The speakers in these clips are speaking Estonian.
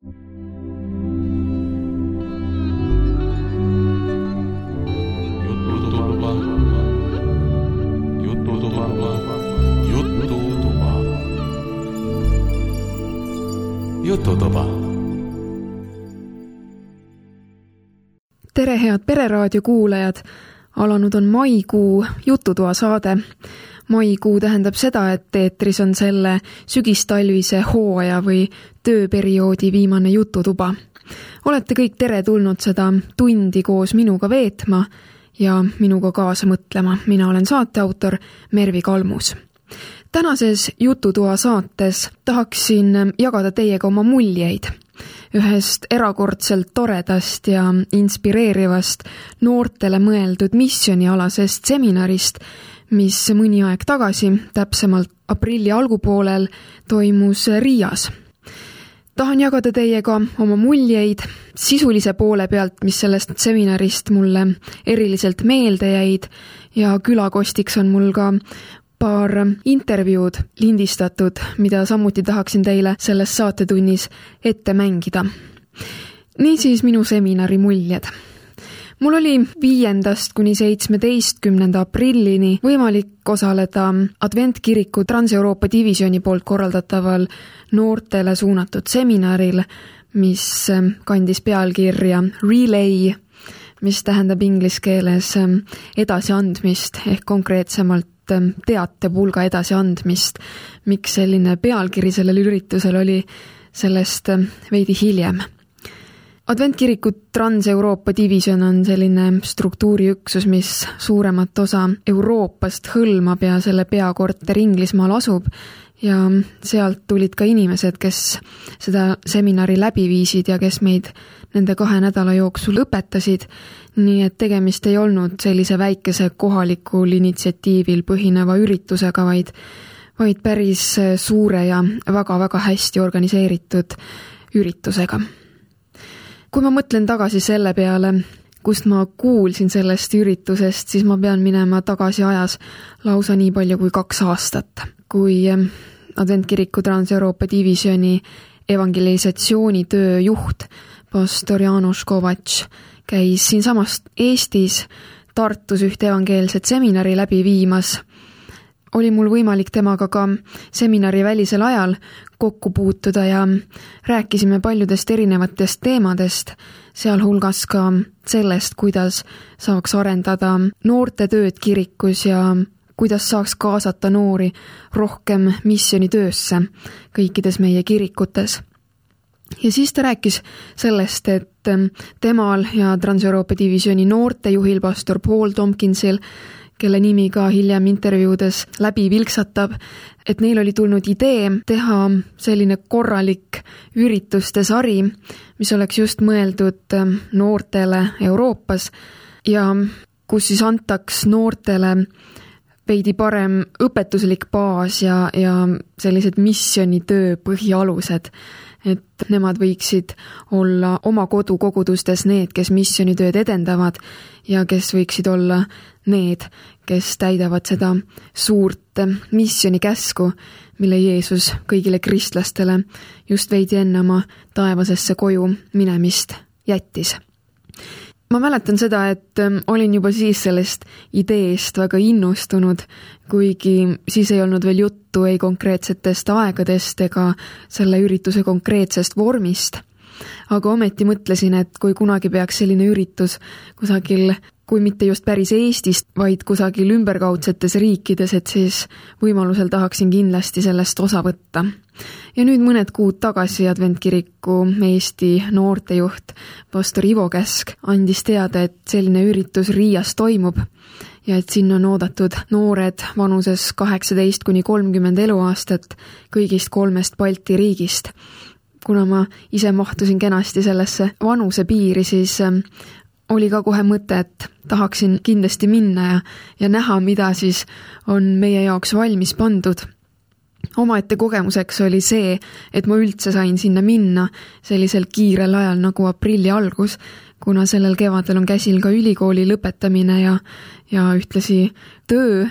Jututuba. Tere head Pereraadio kuulajad! Alanud on maikuu Jututoa saade. Maikuu tähendab seda, et eetris on selle sügistalvise hooaja või tööperioodi viimane jututuba. Olete kõik teretulnud seda tundi koos minuga veetma ja minuga kaasa mõtlema. Mina olen saateautor Mervi Kalmus. Tänases Jututoa saates tahaksin jagada teiega oma muljeid ühest erakordselt toredast ja inspireerivast noortele mõeldud missionialasest seminarist, mis mõni aeg tagasi, täpsemalt aprilli algupoolel, toimus Riias. Tahan jagada teiega oma muljeid sisulise poole pealt, mis sellest seminarist mulle eriliselt meelde jäid ja külakostiks on mul ka paar intervjuud lindistatud, mida samuti tahaksin teile selles saatetunnis ette mängida. Niisiis minu seminari muljed. Mul oli 5. kuni 17. aprillini võimalik osaleda Adventkiriku Trans-Euroopa divisjoni poolt korraldataval noortele suunatud seminaril, mis kandis pealkirja Relay, mis tähendab inglise keeles edasiandmist ehk konkreetsemalt teatepulga edasiandmist. Miks selline pealkiri sellel üritusel oli, sellest veidi hiljem. Adventkiriku Trans-Euroopa divisjon on selline struktuuriüksus, mis suuremat osa Euroopast hõlmab ja selle peakorter Inglismaal asub ja sealt tulid ka inimesed, kes seda seminari läbi viisid ja kes meid nende 2 nädala jooksul õpetasid, nii et tegemist ei olnud sellise väikese kohalikul initsiatiivil põhineva üritusega, vaid päris suure ja väga-väga hästi organiseeritud üritusega. Kui ma mõtlen tagasi selle peale, kust ma kuulsin sellest üritusest, siis ma pean minema tagasi ajas lausa nii palju kui 2 aastat, kui Adventkiriku Trans-Euroopa divisjoni evangelisatsioonitöö juht pastor Janos Kovatš käis siinsamast Eestis Tartus ühte evangeelset seminari läbi viimas. Oli mul võimalik temaga ka seminari välisel ajal kokku puutuda ja rääkisime paljudest erinevatest teemadest, sealhulgas ka sellest, kuidas saaks arendada noorte tööd kirikus ja kuidas saaks kaasata noori rohkem missionitöösse kõikides meie kirikutes. Ja siis ta rääkis sellest, et temal ja Trans-Euroopa divisjoni noortejuhil pastor Paul Tompkinsil, kelle nimi ka hiljem intervjuudes läbi vilksatab, et neil oli tulnud idee teha selline korralik ürituste sari, mis oleks just mõeldud noortele Euroopas ja kus siis antaks noortele veidi parem õpetuslik baas ja sellised missionitöö põhialused, et nemad võiksid olla oma kodukogudustes need, kes missionitööd edendavad ja kes võiksid olla need, kes täidavad seda suurt missionikäsku, mille Jeesus kõigile kristlastele just veidi enne oma taevasesse koju minemist jättis. Ma mäletan seda, et olin juba siis sellest ideest väga innustunud, kuigi siis ei olnud veel juttu ei konkreetsetest aegadest ega selle ürituse konkreetsest vormist. Aga ometi mõtlesin, et kui kunagi peaks selline üritus kusagil, kui mitte just päris Eestist, vaid kusagil ümberkaudsetes riikides, et siis võimalusel tahaksin kindlasti sellest osa võtta. Ja nüüd mõned kuud tagasi Adventkiriku Eesti noortejuht pastor Ivo Käsk andis teada, et selline üritus Riias toimub ja et sinna on oodatud noored vanuses 18 kuni 30 eluaastat kõigist 3 Balti riigist. Kuna ma ise mahtusin kenasti sellesse vanuse piiri, siis oli ka kohe mõte, et tahaksin kindlasti minna ja näha, mida siis on meie jaoks valmis pandud. Omaette kogemuseks oli see, et ma üldse sain sinna minna sellisel kiirel ajal nagu aprilli algus, kuna sellel kevadel on käsil ka ülikooli lõpetamine ja ühtlasi töö,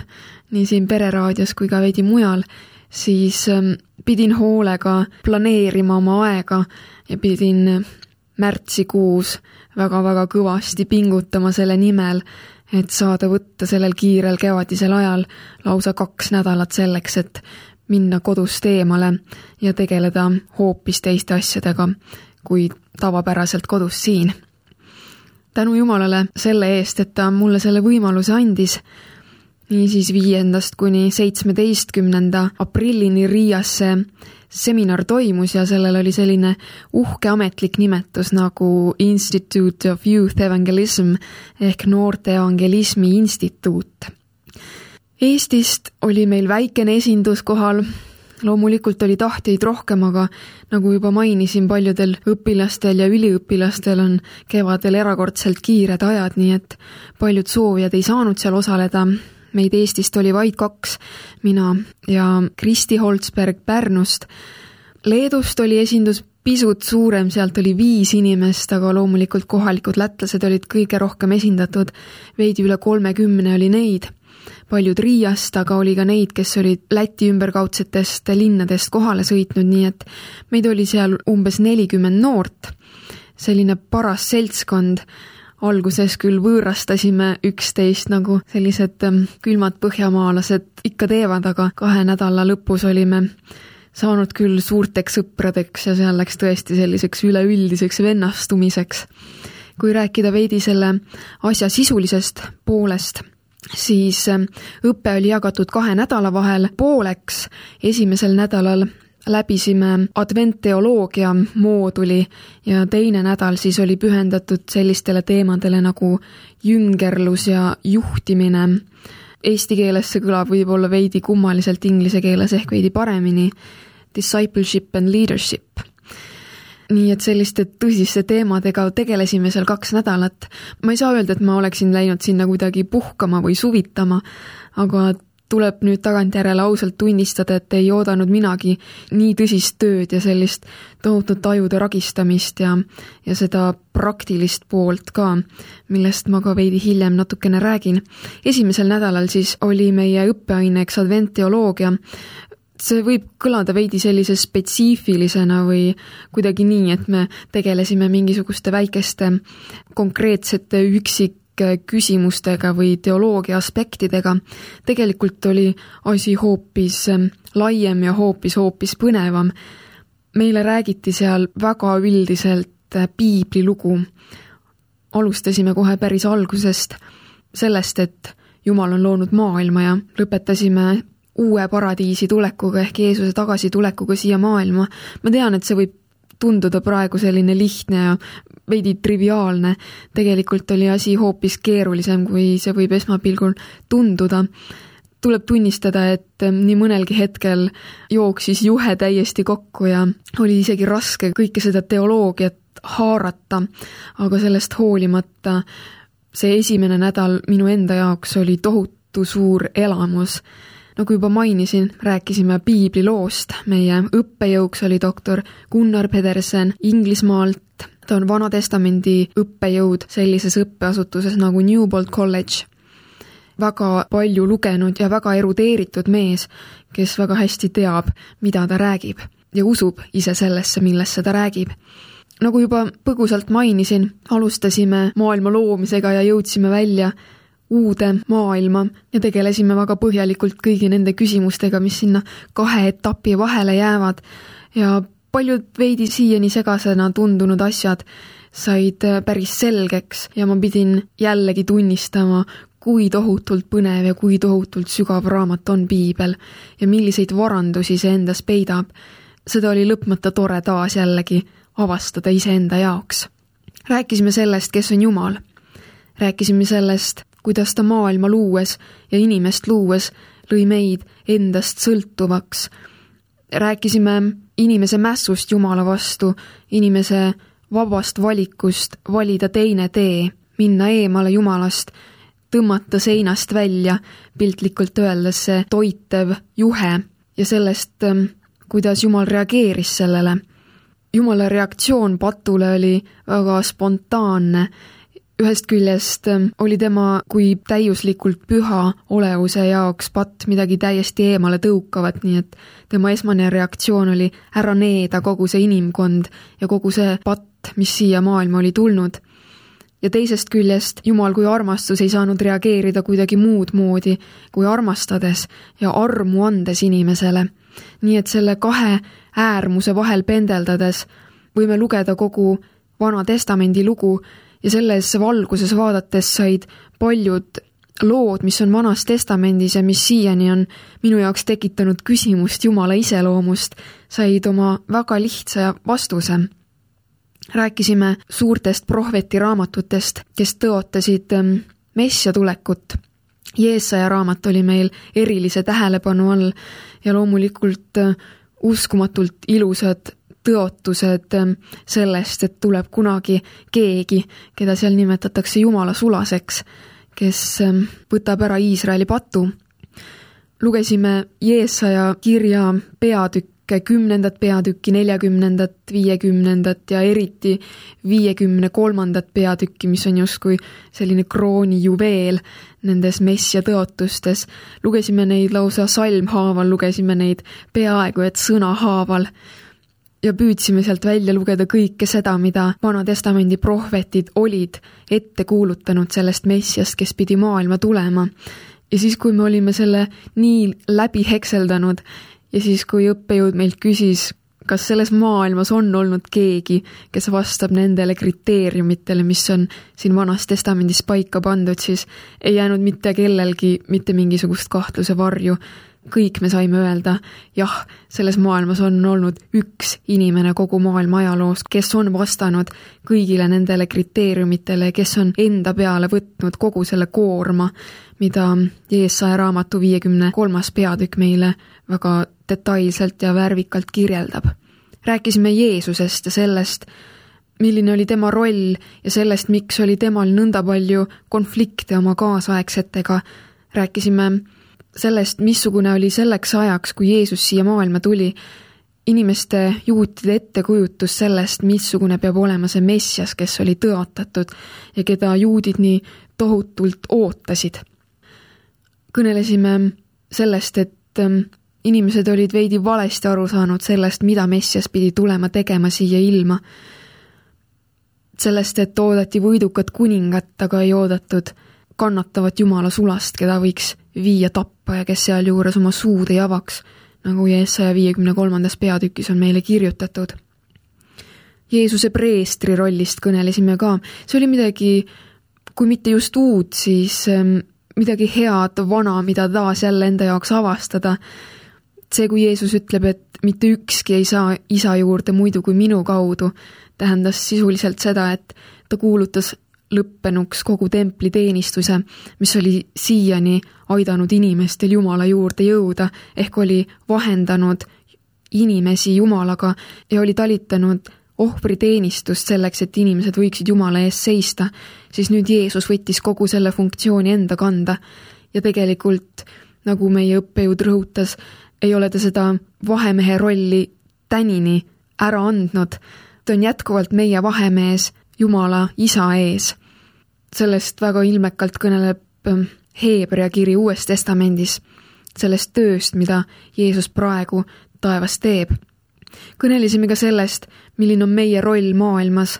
nii siin Pereraadios kui ka veidi mujal, siis pidin hoolega planeerima oma aega ja pidin märtsikuus väga-väga kõvasti pingutama selle nimel, et saada võtta sellel kiirel kevadisel ajal lausa 2 nädalat selleks, et minna kodust eemale ja tegeleda hoopis teiste asjadega kui tavapäraselt kodus siin. Tänu Jumalale selle eest, et ta mulle selle võimaluse andis, niisiis 5. kuni 17. aprillini Riias see seminar toimus ja sellel oli selline uhke ametlik nimetus nagu Institute of Youth Evangelism ehk Noorte Evangelismi Instituut. Eestist oli meil väikene esindus kohal, loomulikult oli tahtjaid rohkem, aga nagu juba mainisin, paljudel õpilastel ja üliõpilastel on kevadel erakordselt kiired ajad, nii et paljud soovijad ei saanud seal osaleda. Meid Eestist oli vaid 2, mina ja Kristi Holtsberg Pärnust. Leedust oli esindus pisut suurem, sealt oli 5 inimest, aga loomulikult kohalikud lätlased olid kõige rohkem esindatud, veidi üle 30 oli neid. Paljud Riiast, aga oli ka neid, kes olid Läti ümberkaudsetest linnadest kohale sõitnud, nii et meid oli seal umbes 40 noort. Selline paras seltskond. Alguses küll võõrastasime üksteist nagu sellised külmad põhjamaalased ikka teevad, aga 2 nädala lõpus olime saanud küll suurteks sõpradeks ja seal läks tõesti selliseks üleüldiseks vennastumiseks. Kui rääkida veidi selle asja sisulisest poolest, siis õppe oli jagatud 2 nädala vahel pooleks. Esimesel nädalal läbisime adventteoloogia mooduli ja teine nädal siis oli pühendatud sellistele teemadele nagu jüngerlus ja juhtimine. Eesti keeles see kõlab võib-olla veidi kummaliselt, inglise keeles ehk veidi paremini. Discipleship and leadership. Nii et selliste tõsiste teemadega tegelesime seal 2 nädalat. Ma ei saa öelda, et ma oleksin läinud sinna kuidagi puhkama või suvitama, aga tuleb nüüd tagantjärele ausalt tunnistada, et ei oodanud minagi nii tõsist tööd ja sellist tohutut ajude ragistamist ja seda praktilist poolt ka, millest ma ka veidi hiljem natukene räägin. Esimesel nädalal siis oli meie õppeaineks adventteoloogia. See võib kõlada veidi sellise spetsiifilisena või kuidagi nii, et me tegelesime mingisuguste väikeste konkreetsete küsimustega või teoloogia aspektidega. Tegelikult oli asi hoopis laiem ja hoopis põnevam. Meile räägiti seal väga üldiselt piiblilugu. Alustasime kohe päris algusest sellest, et Jumal on loonud maailma ja lõpetasime uue paradiisi tulekuga ehk Jeesuse tagasitulekuga siia maailma. Ma tean, et see võib tunduda praegu selline lihtne ja veidi triviaalne. Tegelikult oli asi hoopis keerulisem, kui see võib esmapilgul tunduda. Tuleb tunnistada, et nii mõnelgi hetkel jooksis juhe täiesti kokku ja oli isegi raske kõike seda teoloogiat haarata, aga sellest hoolimata see esimene nädal minu enda jaoks oli tohutu suur elamus. Nagu juba mainisin, rääkisime piibliloost. Meie õppejõuks oli doktor Gunnar Pedersen Inglismaalt. Ta on Vanatestamendi õppejõud sellises õppeasutuses nagu Newbold College. Väga palju lugenud ja väga erudeeritud mees, kes väga hästi teab, mida ta räägib ja usub ise sellesse, millesse ta räägib. Nagu juba põgusalt mainisin, alustasime maailma loomisega ja jõudsime välja uude maailma ja tegelesime väga põhjalikult kõigi nende küsimustega, mis sinna 2 etapi vahele jäävad ja paljud veidi siiani segasena tundunud asjad said päris selgeks ja ma pidin jällegi tunnistama, kui tohutult põnev ja kui tohutult sügav raamat on piibel ja milliseid varandusi see endas peidab. Seda oli lõpmata tore taas jällegi avastada iseenda jaoks. Rääkisime sellest, kes on Jumal. Rääkisime sellest, kuidas ta maailma luues ja inimest luues lõi meid endast sõltuvaks. Rääkisime inimese mässust Jumala vastu, inimese vabast valikust valida teine tee, minna eemale Jumalast, tõmmata seinast välja, piltlikult öeldes see toitev juhe ja sellest, kuidas Jumal reageeris sellele. Jumala reaktsioon patule oli väga spontaanne. ühest küljest oli tema kui täiuslikult püha olevuse jaoks patt midagi täiesti eemale tõukavat, nii et tema esmane reaktsioon oli ära needa kogu see inimkond ja kogu see patt, mis siia maailma oli tulnud. Ja teisest küljest Jumal kui armastus ei saanud reageerida kuidagi muud moodi kui armastades ja armu andes inimesele. Nii et selle kahe äärmuse vahel pendeldades võime lugeda kogu Vana Testamendi lugu ja selles valguses vaadates said paljud lood, mis on Vanas Testamendis ja mis siiani on minu jaoks tekitanud küsimust Jumala iseloomust, said oma väga lihtsa vastuse. Rääkisime suurtest prohvetiraamatutest, kes tõotasid Messia tulekut. Jeesaja raamat oli meil erilise tähelepanu all ja loomulikult uskumatult ilusad tõotused sellest, et tuleb kunagi keegi, keda seal nimetatakse Jumala sulaseks, kes võtab ära Iisraeli patu. Lugesime Jeesaja kirja peatükke, 10. peatükki, 40., 50. ja eriti 53. peatükki, mis on justkui selline kroonijuveel nendes Messia tõotustes. Lugesime neid lausa salmhaaval, lugesime neid peaaegu et sõnahaaval ja püüdsime sealt välja lugeda kõike seda, mida Vana Testamendi prohvetid olid ette kuulutanud sellest Messiast, kes pidi maailma tulema. Ja siis, kui me olime selle nii läbi hekseldanud ja siis, kui õppejõud meilt küsis, kas selles maailmas on olnud keegi, kes vastab nendele kriteeriumitele, mis on siin Vanas Testamendis paika pandud, siis ei jäänud mitte kellelgi mitte mingisugust kahtluse varju. Kõik me saime öelda, jah, selles maailmas on olnud üks inimene kogu maailma ajaloos, kes on vastanud kõigile nendele kriteeriumitele, kes on enda peale võtnud kogu selle koorma, mida Jeesaja raamatu 53. peatükk meile väga detailselt ja värvikalt kirjeldab. Rääkisime Jeesusest ja sellest, milline oli tema roll ja sellest, miks oli temal nõnda palju konflikte oma kaasaegsetega. Rääkisime sellest, missugune oli selleks ajaks, kui Jeesus siia maailma tuli, inimeste juutide ettekujutus sellest, missugune peab olema see Messias, kes oli tõotatud ja keda juudid nii tohutult ootasid. Kõnelesime sellest, et inimesed olid veidi valesti aru saanud sellest, mida Messias pidi tulema tegema siia ilma. Sellest, et oodati võidukat kuningat, aga ei oodatud kannatavat Jumala sulast, keda võiks viia tappa ja kes seal juures oma suud ei avaks, nagu Jeesaja 53. peatükis on meile kirjutatud. Jeesuse preestri rollist kõnelesime ka. See oli midagi, kui mitte just uut, siis midagi head, vana, mida taas jälle enda jaoks avastada. See, kui Jeesus ütleb, et mitte ükski ei saa isa juurde muidu kui minu kaudu, tähendas sisuliselt seda, et ta kuulutas lõppenuks kogu templi teenistuse, mis oli siiani aidanud inimestel Jumala juurde jõuda, ehk oli vahendanud inimesi Jumalaga ja oli talitanud ohvriteenistust selleks, et inimesed võiksid Jumala ees seista, siis nüüd Jeesus võttis kogu selle funktsiooni enda kanda ja tegelikult, nagu meie õppejõud rõhutas, ei ole ta seda vahemehe rolli tänini ära andnud. Ta on jätkuvalt meie vahemees Jumala isa ees. Sellest väga ilmekalt kõneleb Heebrea kiri Uues Testamendis, sellest tööst, mida Jeesus praegu taevas teeb. Kõnelisime ka sellest, milline on meie roll maailmas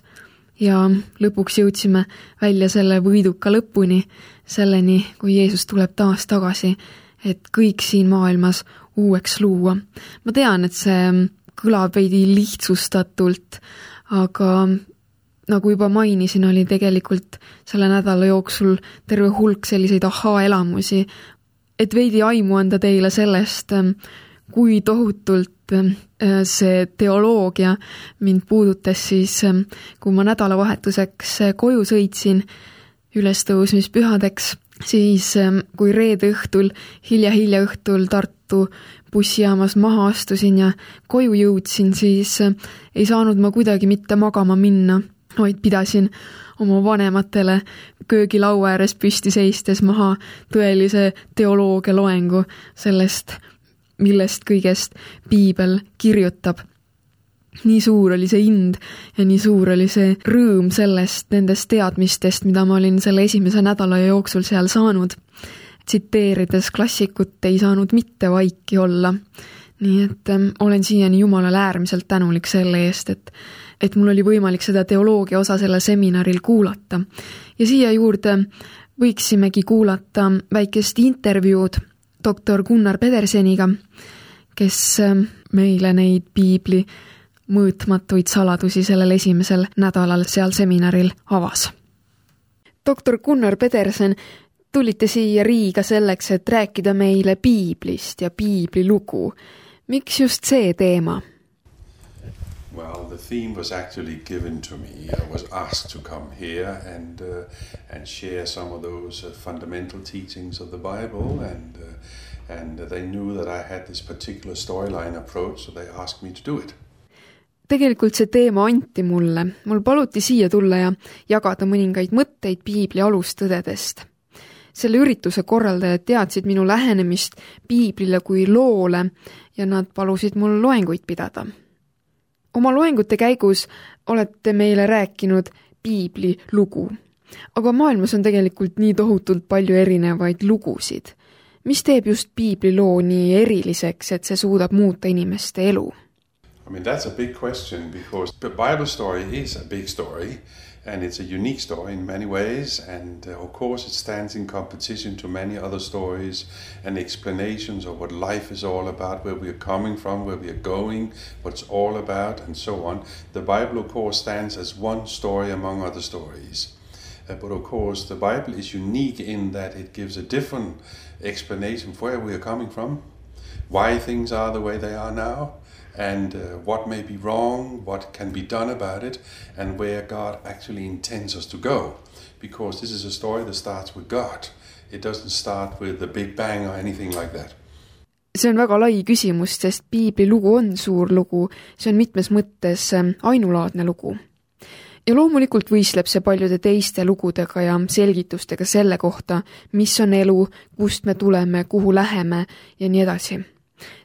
ja lõpuks jõudsime välja selle võiduka lõpuni, selleni, kui Jeesus tuleb taas tagasi, et kõik siin maailmas uueks luua. Ma tean, et see kõlab veidi lihtsustatult, aga nagu juba mainisin, oli tegelikult selle nädala jooksul terve hulk selliseid ahaa-elamusi, et veidi aimu anda teile sellest, kui tohutult see teoloogia mind puudutas siis, kui ma nädalavahetuseks koju sõitsin ülestõusmispühadeks, siis kui reede õhtul, hilja õhtul Tartu bussijaamas maha astusin ja koju jõudsin, siis ei saanud ma kuidagi mitte magama minna, vaid pidasin oma vanematele köögilaua ääres püsti seistes maha tõelise teoloogia loengu sellest, millest kõigest piibel kirjutab. nii suur oli see ind ja nii suur oli see rõõm nendest teadmistest, mida ma olin selle esimese nädala jooksul seal saanud. Tsiteerides klassikut, ei saanud mitte vaiki olla. Nii et olen siiani Jumalale äärmiselt tänulik selle eest, et mul oli võimalik seda teoloogia osa sellel seminaril kuulata. Ja siia juurde võiksimegi kuulata väikest intervjuud doktor Gunnar Pederseniga, kes meile neid piibli mõõtmatuid saladusi sellel esimesel nädalal seal seminaril avas. Doktor Gunnar Pedersen, tulite siia Riiga selleks, et rääkida meile piiblist ja piibli lugu. Miks just see teema? Well, the theme was actually given to me. I was asked to come here and share some of those fundamental teachings of the Bible, and they knew that I had this particular storyline approach, so they asked me to do it. Tegelikult see teema anti mulle. Mul paluti siia tulla ja jagada mõningaid mõtteid piibli alustõdedest. Selle ürituse korraldajad teadsid minu lähenemist piiblile kui loole ja nad palusid mul loenguid pidada. Oma loengute käigus olete meile rääkinud piibli lugu, aga maailmas on tegelikult nii tohutult palju erinevaid lugusid. Mis teeb just piibli loo nii eriliseks, et see suudab muuta inimeste elu? I mean, that's a big question because the Bible story is a big story and it's a unique story in many ways, and of course it stands in competition to many other stories and explanations of what life is all about, where we are coming from, where we are going, what it's all about, and so on. The Bible, of course, stands as one story among other stories. But of course the Bible is unique in that it gives a different explanation for where we are coming from, why things are the way they are now, and what may be wrong, what can be done about it, and where God actually intends us to go. Because this is a story that starts with God. It doesn't start with the Big Bang or anything like that. See on väga lai küsimus, sest piibli lugu on suur lugu, see on mitmes mõttes ainulaadne lugu. Ja loomulikult võistleb see paljude teiste lugudega ja selgitustega selle kohta, mis on elu, kust me tuleme, kuhu läheme ja nii edasi.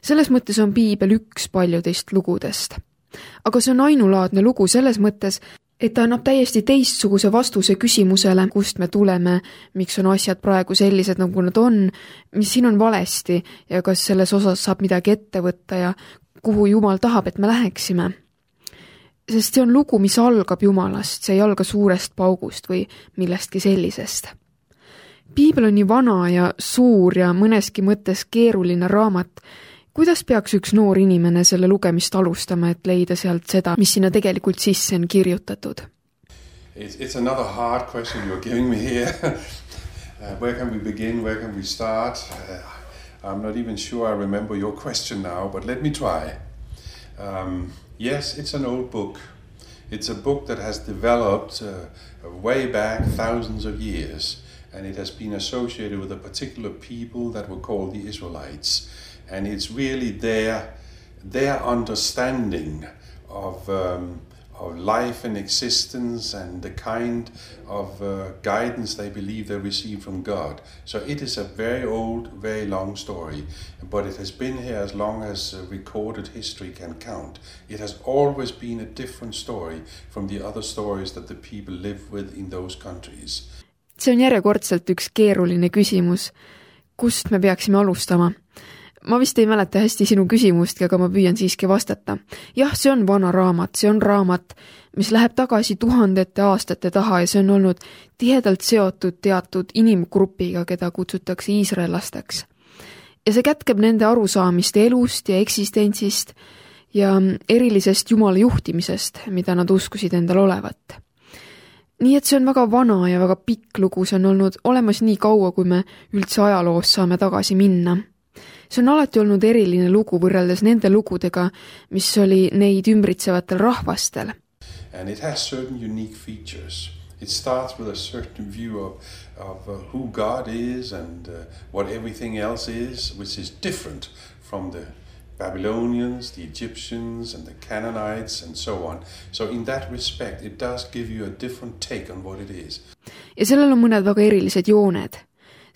Selles mõttes on piibel üks paljudest lugudest. Aga see on ainulaadne lugu selles mõttes, et ta annab täiesti teistsuguse vastuse küsimusele, kust me tuleme, miks on asjad praegu sellised, nagu nad on, mis siin on valesti ja kas selles osas saab midagi ette võtta ja kuhu Jumal tahab, et me läheksime. Sest see on lugu, mis algab Jumalast, see ei alga suurest paugust või millestki sellisest. Piibel on nii vana ja suur ja mõneski mõttes keeruline raamat. Kuidas peaks üks noor inimene selle lugemist alustama, et leida sealt seda, mis sinna tegelikult sisse on kirjutatud? It's another hard question you're giving me here. Where can we begin? Where can we start? I'm not even sure I remember your question now, but let me try. Yes, it's an old book. It's a book that has developed way back thousands of years, and it has been associated with a particular people that were called the Israelites. And it's really their understanding of life and existence and the kind of guidance they believe they receive from God. So it is a very old, very long story, but it has been here as long as recorded history can count. It has always been a different story from the other stories that the people live with in those countries. See on järjekordselt üks keeruline küsimus. Kust me peaksime alustama? Ma vist ei mäleta hästi sinu küsimust, aga ma püüan siiski vastata. Jah, see on vana raamat, see on raamat, mis läheb tagasi tuhandete aastate taha ja see on olnud tihedalt seotud teatud inimgrupiga, keda kutsutakse iisraellasteks. Ja see kätkeb nende arusaamist elust ja eksistentsist ja erilisest Jumala juhtimisest, mida nad uskusid endal olevat. Nii et see on väga vana ja väga pikk lugu, see on olnud olemas nii kaua, kui me üldse ajaloos saame tagasi minna. See on alati olnud eriline lugu võrreldes nende lugudega, mis oli neid ümbritsevatel rahvastel. And it has certain unique features. It starts with a certain view of who God is and what everything else is, which is different from the Babylonians, the Egyptians and the Canaanites and so on. So in that respect, it does give you a different take on what it is. Ja sellel on mõned väga erilised jooned.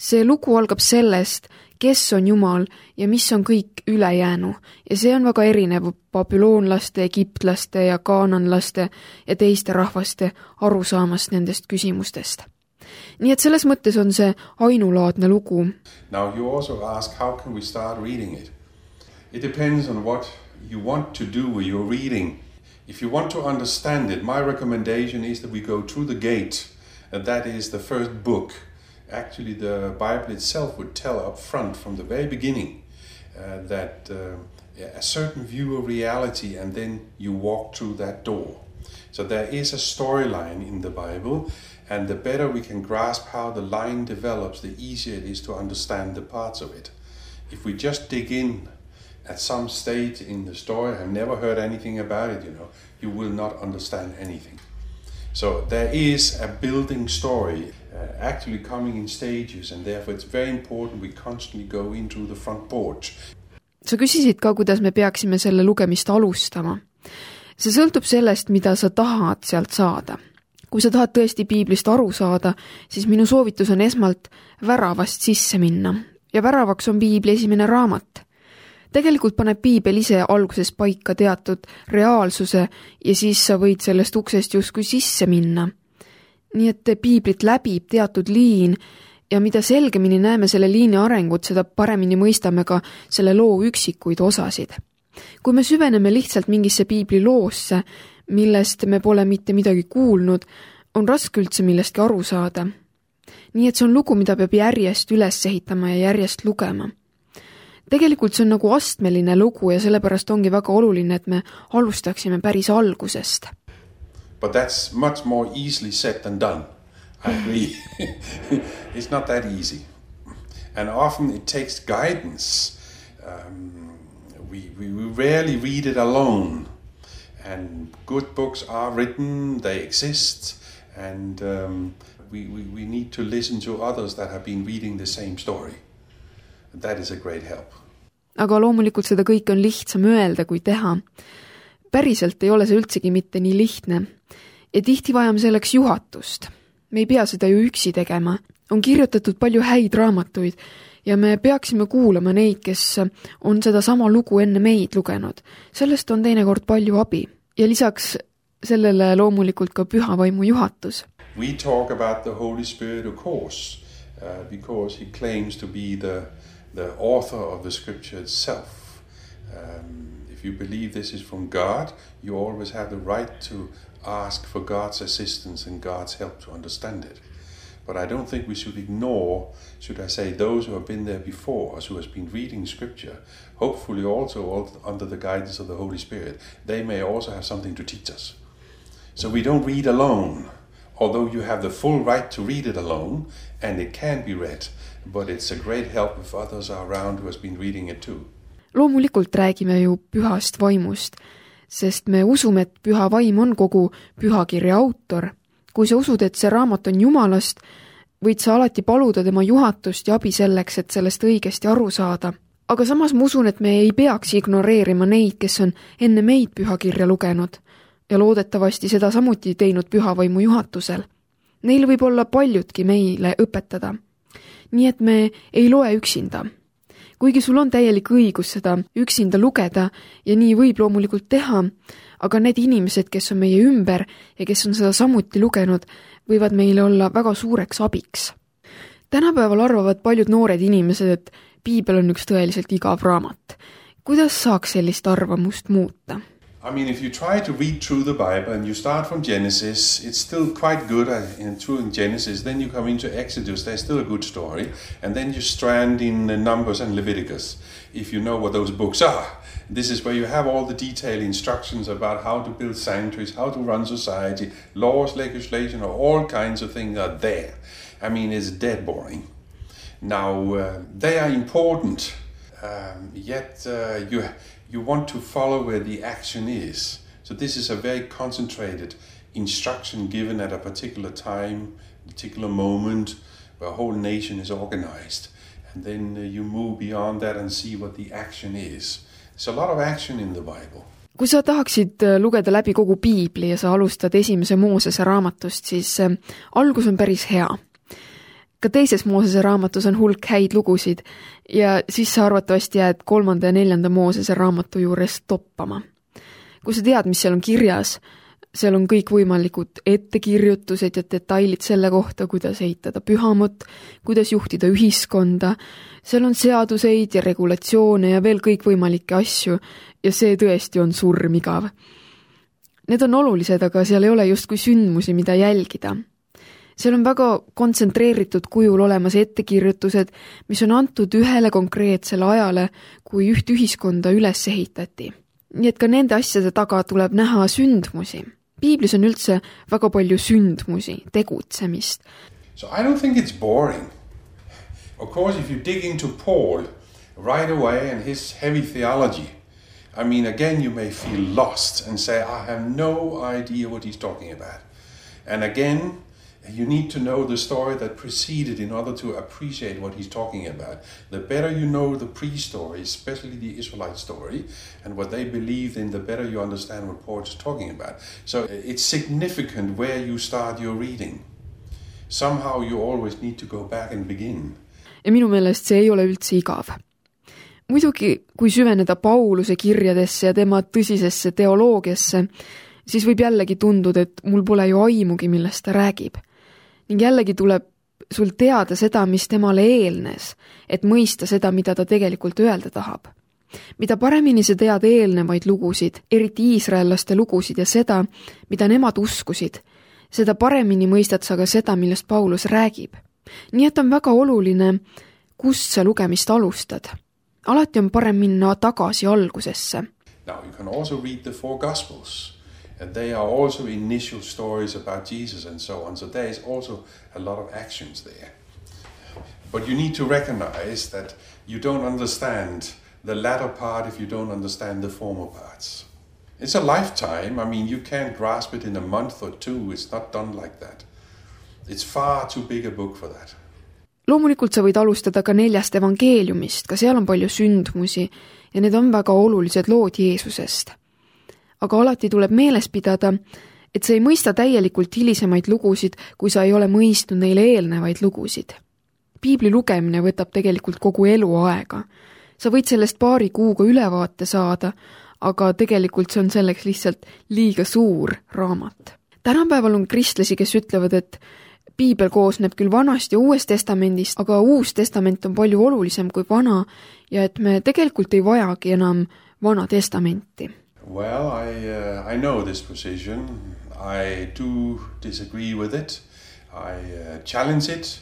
See lugu algab sellest, kes on Jumal ja mis on kõik ülejäänu. Ja see on väga erinev babüloonlaste, egiptlaste ja kaananlaste ja teiste rahvaste arusaamast nendest küsimustest. Nii et selles mõttes on see ainulaadne lugu. Now you also ask, how can we start reading it? It depends on what you want to do when you're reading. If you want to understand it, my recommendation is that we go through the gate, and that is the first book. Actually, the Bible itself would tell up front from the very beginning that a certain view of reality, and then you walk through that door. So there is a storyline in the Bible, and the better we can grasp how the line develops, the easier it is to understand the parts of it. If we just dig in at some stage in the story, I've never heard anything about it, you will not understand anything. So there is a building story actually coming in stages, and therefore it's very important we constantly go in through the front porch. Sa küsisid ka, kuidas me peaksime selle lugemist alustama. See sõltub sellest, mida sa tahad sealt saada. Kui sa tahad tõesti piiblist aru saada, siis minu soovitus on esmalt väravast sisse minna. Ja väravaks on piibli esimene raamat. Tegelikult paneb piibel ise alguses paika teatud reaalsuse ja siis sa võid sellest uksest justkui sisse minna. Nii et piiblit läbib teatud liin ja mida selgemini näeme selle liini arengut, seda paremini mõistame ka selle loo üksikuid osasid. Kui me süveneme lihtsalt mingisse piibli loosse, millest me pole mitte midagi kuulnud, on raske üldse millestki aru saada. Nii et see on lugu, mida peab järjest üles ehitama ja järjest lugema. Tegelikult see on nagu astmeline lugu ja sellepärast ongi väga oluline, et me alustaksime päris algusest. But that's much more easily said than done. I agree. It's not that easy. And often it takes guidance. We rarely read it alone. And good books are written, they exist, and we need to listen to others that have been reading the same story. That is a great help. Aga loomulikult seda kõike on lihtsam öelda kui teha. Päriselt ei ole see üldsegi mitte nii lihtne. Ja tihti vajame selleks juhatust. Me ei pea seda ju üksi tegema. On kirjutatud palju häid raamatuid ja me peaksime kuulama neid, kes on seda sama lugu enne meid lugenud. Sellest on teinekord palju abi. Ja lisaks sellele loomulikult ka püha vaimu juhatus. We talk about the Holy Spirit, of course, because he claims to be the author of the scripture itself. If you believe this is from God, you always have the right to ask for God's assistance and God's help to understand it. But I don't think we should ignore, should I say, those who have been there before us, who has been reading scripture, hopefully also under the guidance of the Holy Spirit. They may also have something to teach us. So we don't read alone, although you have the full right to read it alone, and it can be read, but it's a great help if others are around who has been reading it too. Loomulikult räägime ju pühast vaimust, sest me usume, et püha vaim on kogu pühakirja autor. Kui sa usud, et see raamat on Jumalast, võid sa alati paluda tema juhatust ja abi selleks, et sellest õigesti aru saada. Aga samas ma usun, et me ei peaks ignoreerima neid, kes on enne meid pühakirja lugenud ja loodetavasti seda samuti teinud pühavaimu juhatusel. Neil võib olla paljudki meile õpetada. Nii et me ei loe üksinda. Kuigi sul on täielik õigus seda üksinda lugeda ja nii võib loomulikult teha, aga need inimesed, kes on meie ümber ja kes on seda samuti lugenud, võivad meile olla väga suureks abiks. Tänapäeval arvavad paljud noored inimesed, et piibel on üks tõeliselt igav raamat. Kuidas saaks sellist arvamust muuta? I mean, if you try to read through the Bible and you start from Genesis, it's still quite good in Genesis. Then you come into Exodus, there's still a good story. And then you strand in Numbers and Leviticus, if you know what those books are. This is where you have all the detailed instructions about how to build sanctuaries, how to run society, laws, legislation, all kinds of things are there. I mean, it's dead boring. Now, they are important, yet you want to follow where the action is. So this is a very concentrated instruction given at a particular time, particular moment, where a whole nation is organized. And then you move beyond that and see what the action is. There's a lot of action in the Bible. Kui sa tahaksid lugeda läbi kogu piibli ja sa alustad esimese Moosese raamatust, siis algus on päris hea. Ka teises Moosese raamatus on hulk häid lugusid ja siis sa arvatavasti jääd 3. ja 4. Moosese raamatu juures toppama. Kui sa tead, mis seal on kirjas, seal on kõik võimalikud ettekirjutused ja detailid selle kohta, kuidas ehitada pühamut, kuidas juhtida ühiskonda, seal on seaduseid ja regulatsioone ja veel kõik võimalikke asju ja see tõesti on surmigav. Need on olulised, aga seal ei ole justkui sündmusi, mida jälgida. Seal on väga kontsentreeritud kujul olemas ettekirjutused, mis on antud ühele konkreetsele ajale, kui üht ühiskonda üles ehitati. Nii et ka nende asjade taga tuleb näha sündmusi. Piiblis on üldse väga palju sündmusi, tegutsemist. So I don't think it's boring. Of course, if you dig into Paul right away and his heavy theology, I mean, again, you may feel lost and say, I have no idea what he's talking about. And again, you need to know the story that preceded in order to appreciate what he's talking about. The better you know the pre-story, especially the Israelite story, and what they believed in, the better you understand what Paul is talking about. So it's significant where you start your reading. Somehow you always need to go back and begin. Ja minu meelest see ei ole üldse igav. Muidugi, kui süveneda Pauluse kirjadesse ja tema tõsisesse teoloogiasse, siis võib jällegi tunduda, et mul pole ju aimugi, millest ta räägib. Ning jällegi tuleb sul teada seda, mis temale eelnes, et mõista seda, mida ta tegelikult öelda tahab. Mida paremini sa tead eelnevaid lugusid, eriti iisraellaste lugusid ja seda, mida nemad uskusid, seda paremini mõistad sa ka seda, millest Paulus räägib. Nii et on väga oluline, kust sa lugemist alustad. Alati on parem minna tagasi algusesse. Now you can also read the 4 Gospels. And they are also initial stories about Jesus and so on. So there is also a lot of actions there. But you need to recognize that you don't understand the latter part if you don't understand the former parts. It's a lifetime. I mean, you can't grasp it in a month or 2. It's not done like that. It's far too big a book for that. Loomulikult sa võid alustada ka 4 evangeeliumist, ka seal on palju sündmusi ja need on väga olulised lood Jeesusest. Aga alati tuleb meeles pidada, et sa ei mõista täielikult hilisemaid lugusid, kui sa ei ole mõistnud neile eelnevaid lugusid. Piibli lugemine võtab tegelikult kogu elu aega. Sa võid sellest paari kuuga ülevaate saada, aga tegelikult see on selleks lihtsalt liiga suur raamat. Tänapäeval on kristlasi, kes ütlevad, et Piibel koosneb küll Vanast ja Uuest testamendist, aga Uus testament on palju olulisem kui Vana ja et me tegelikult ei vajagi enam Vana testamenti. Well, I know this position. I do disagree with it. I challenge it.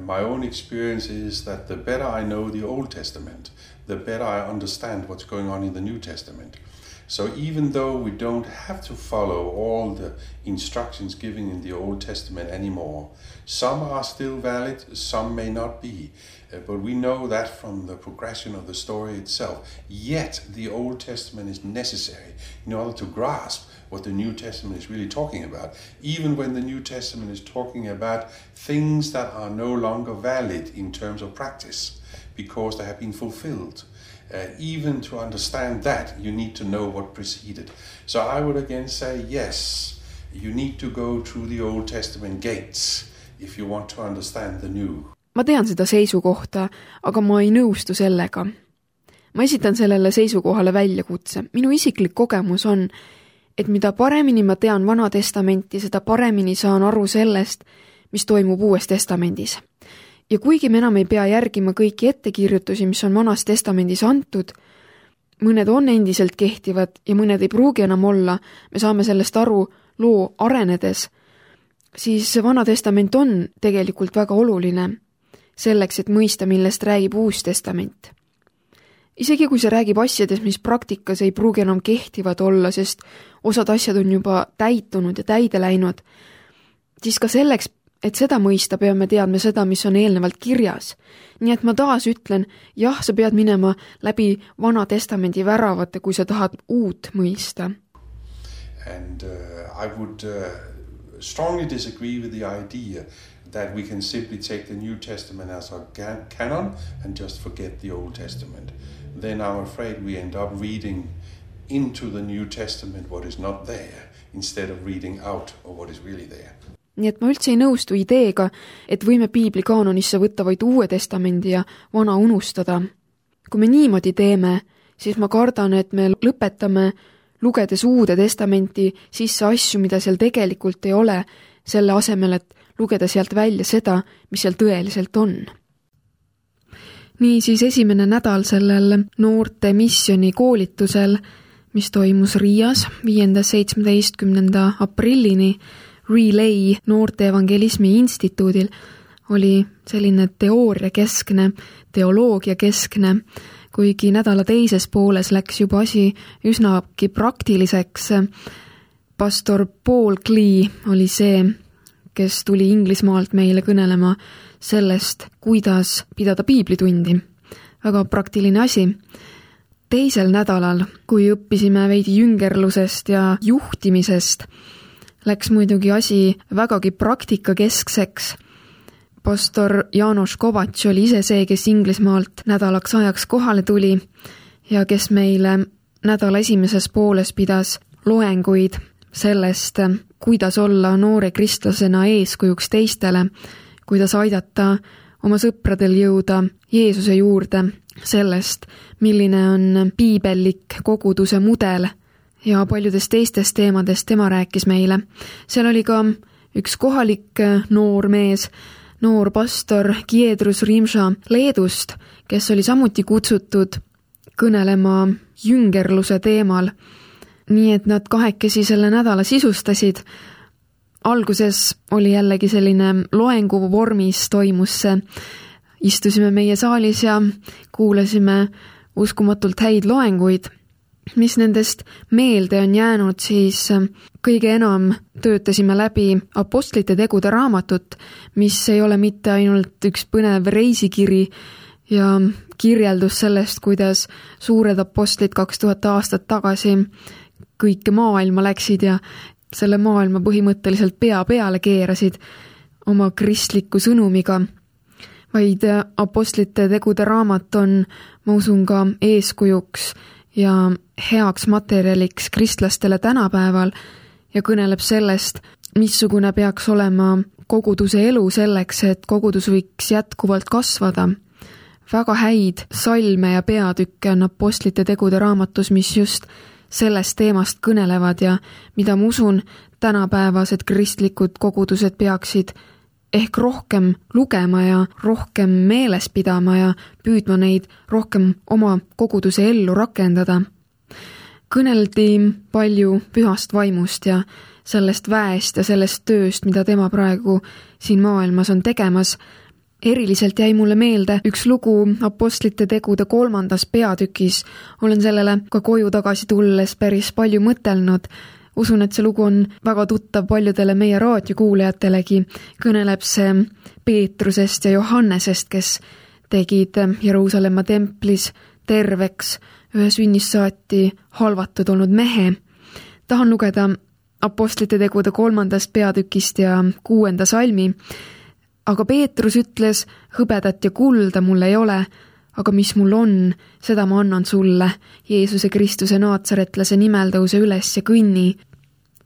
My own experience is that the better I know the Old Testament, the better I understand what's going on in the New Testament. So even though we don't have to follow all the instructions given in the Old Testament anymore, some are still valid, some may not be. But we know that from the progression of the story itself. Yet the Old Testament is necessary in order to grasp what the New Testament is really talking about. Even when the New Testament is talking about things that are no longer valid in terms of practice because they have been fulfilled. Even to understand that, you need to know what preceded. So I would again say, yes, you need to go through the Old Testament gates if you want to understand the New. Ma tean seda seisukohta, aga ma ei nõustu sellega. Ma esitan sellele seisukohale väljakutse. Minu isiklik kogemus on, et mida paremini ma tean Vana testamenti, seda paremini saan aru sellest, mis toimub Uues testamendis. Ja kuigi me enam ei pea järgima kõiki ettekirjutusi, mis on Vanas testamendis antud, mõned on endiselt kehtivad ja mõned ei pruugi enam olla, me saame sellest aru loo arenedes, siis Vana testament on tegelikult väga oluline selleks, et mõista, millest räägib Uus testament. Isegi kui see räägib asjades, mis praktikas ei pruugi enam kehtivad olla, sest osad asjad on juba täitunud ja täide läinud, siis ka selleks, et seda mõista, peame teadma seda, mis on eelnevalt kirjas. Nii et ma taas ütlen, jah, sa pead minema läbi Vana testamendi väravate, kui sa tahad uut mõista. And I would strongly disagree with the idea that we can simply take the New Testament as our canon and just forget the Old Testament. Then I'm afraid we end up reading into the New Testament what is not there instead of reading out of what is really there. Nii et ma üldse ei nõustu ideega, et võime piibli kaanonisse võtta vaid Uue Testamendi ja vana unustada. Kui me niimoodi teeme, siis ma kardan, et me lõpetame lugedes Uude Testamenti sisse asju, mida seal tegelikult ei ole, selle asemel, et lugeda sealt välja seda, mis seal tõeliselt on. Niisiis esimene nädal sellel noorte missiooni koolitusel, mis toimus Riias 5.–17. aprillini Relay noorte evangelismi instituudil, oli selline teooriakeskne, teoloogiakeskne, kuigi nädala teises pooles läks juba asi üsnagi praktiliseks. Pastor Paul Klee oli see, kes tuli Inglismaalt meile kõnelema sellest, kuidas pidada piiblitundi. Väga praktiline asi. Teisel nädalal, kui õppisime veidi jüngerlusest ja juhtimisest, läks muidugi asi vägagi praktikakeskseks. Pastor János Kovacs oli ise see, kes Inglismaalt nädalaks ajaks kohale tuli ja kes meile nädala esimeses pooles pidas loenguid sellest, kuidas olla noore kristlasena eeskujuks teistele, kuidas aidata oma sõpradel jõuda Jeesuse juurde, sellest, milline on piibellik koguduse mudel ja paljudest teistest teemadest tema rääkis meile. Seal oli ka üks kohalik noor mees, noor pastor Giedrus Rimša Leedust, kes oli samuti kutsutud kõnelema jüngerluse teemal. Nii et nad kahekesi selle nädala sisustasid. Alguses oli jällegi selline loengu vormis toimus see. Istusime meie saalis ja kuulasime uskumatult häid loenguid. Mis nendest meelde on jäänud, siis kõige enam töötasime läbi apostlite tegude raamatut, mis ei ole mitte ainult üks põnev reisikiri ja kirjeldus sellest, kuidas suured apostlid 2000 aastat tagasi kõike maailma läksid ja selle maailma põhimõtteliselt pea peale keerasid oma kristliku sõnumiga, vaid apostlite tegude raamat on, ma usun, ka eeskujuks ja heaks materjaliks kristlastele tänapäeval ja kõneleb sellest, missugune peaks olema koguduse elu selleks, et kogudus võiks jätkuvalt kasvada. Väga häid salme ja peatükke on apostlite tegude raamatus, mis just sellest teemast kõnelevad ja mida ma usun, tänapäevased kristlikud kogudused peaksid ehk rohkem lugema ja rohkem meeles pidama ja püüdma neid rohkem oma koguduse ellu rakendada. Kõneldi palju pühast vaimust ja sellest väest ja sellest tööst, mida tema praegu siin maailmas on tegemas. Eriliselt jäi mulle meelde üks lugu apostlite tegude 3. peatükis. Olen sellele ka koju tagasi tulles päris palju mõtelnud. Usun, et see lugu on väga tuttav paljudele meie raadiokuulajatelegi. Kõneleb see Peetrusest ja Johannesest, kes tegid Jeruusalemma templis terveks ühe sünnist saati halvatud olnud mehe. Tahan lugeda apostlite tegude 3. peatükist ja 6. salmi. Aga Peetrus ütles, hõbedat ja kulda mul ei ole, aga mis mul on, seda ma annan sulle. Jeesuse Kristuse naatsaretlase nimel tõuse üles ja kõnni.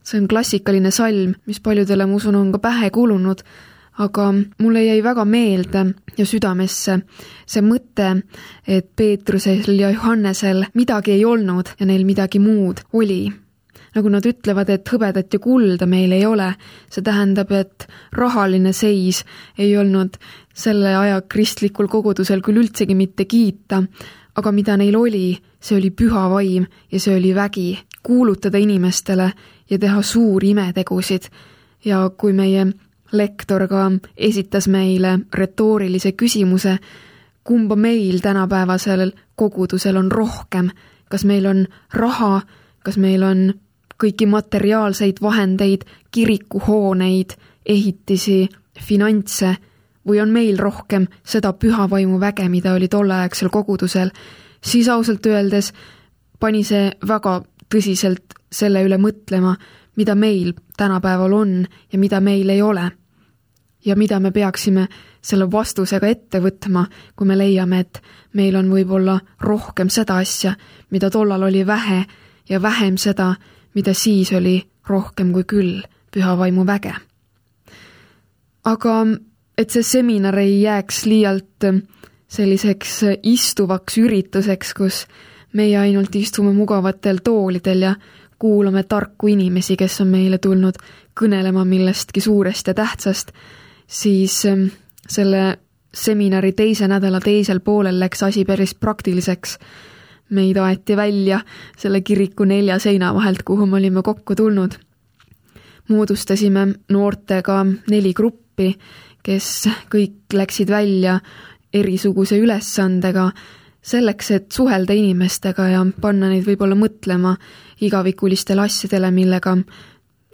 See on klassikaline salm, mis paljudele ma usun on ka pähe kulunud, aga mulle jäi väga meelde ja südamesse see mõte, et Peetrusel ja Johannesel midagi ei olnud ja neil midagi muud oli. Nagu nad ütlevad, et hõbedat ja kulda meil ei ole, see tähendab, et rahaline seis ei olnud selle aja kristlikul kogudusel küll üldsegi mitte kiita, aga mida neil oli, see oli püha vaim ja see oli vägi kuulutada inimestele ja teha suuri imetegusid. Ja kui meie lektor ka esitas meile retoorilise küsimuse, kumba meil tänapäevasel kogudusel on rohkem, kas meil on raha, kas meil on kõiki materiaalseid vahendeid, kirikuhooneid, ehitisi, finantse või on meil rohkem seda püha vaimu väge, mida oli tolleaegsel kogudusel, siis ausalt öeldes pani see väga tõsiselt selle üle mõtlema, mida meil tänapäeval on ja mida meil ei ole. Ja mida me peaksime selle vastusega ette võtma, kui me leiame, et meil on võib-olla rohkem seda asja, mida tollal oli vähe ja vähem seda, mida siis oli rohkem kui küll püha vaimu väge. aga et see seminar ei jääks liialt selliseks istuvaks ürituseks, kus meie ainult istume mugavatel toolidel ja kuulame tarku inimesi, kes on meile tulnud kõnelema millestki suurest ja tähtsast, siis selle seminari teise nädala teisel poolel läks asi päris praktiliseks. Meid aeti välja selle kiriku 4 seina vahelt, kuhu me olime kokku tulnud. Moodustasime noortega 4 gruppi, kes kõik läksid välja erisuguse ülesandega selleks, et suhelda inimestega ja panna neid võib-olla mõtlema igavikulistele asjadele, millega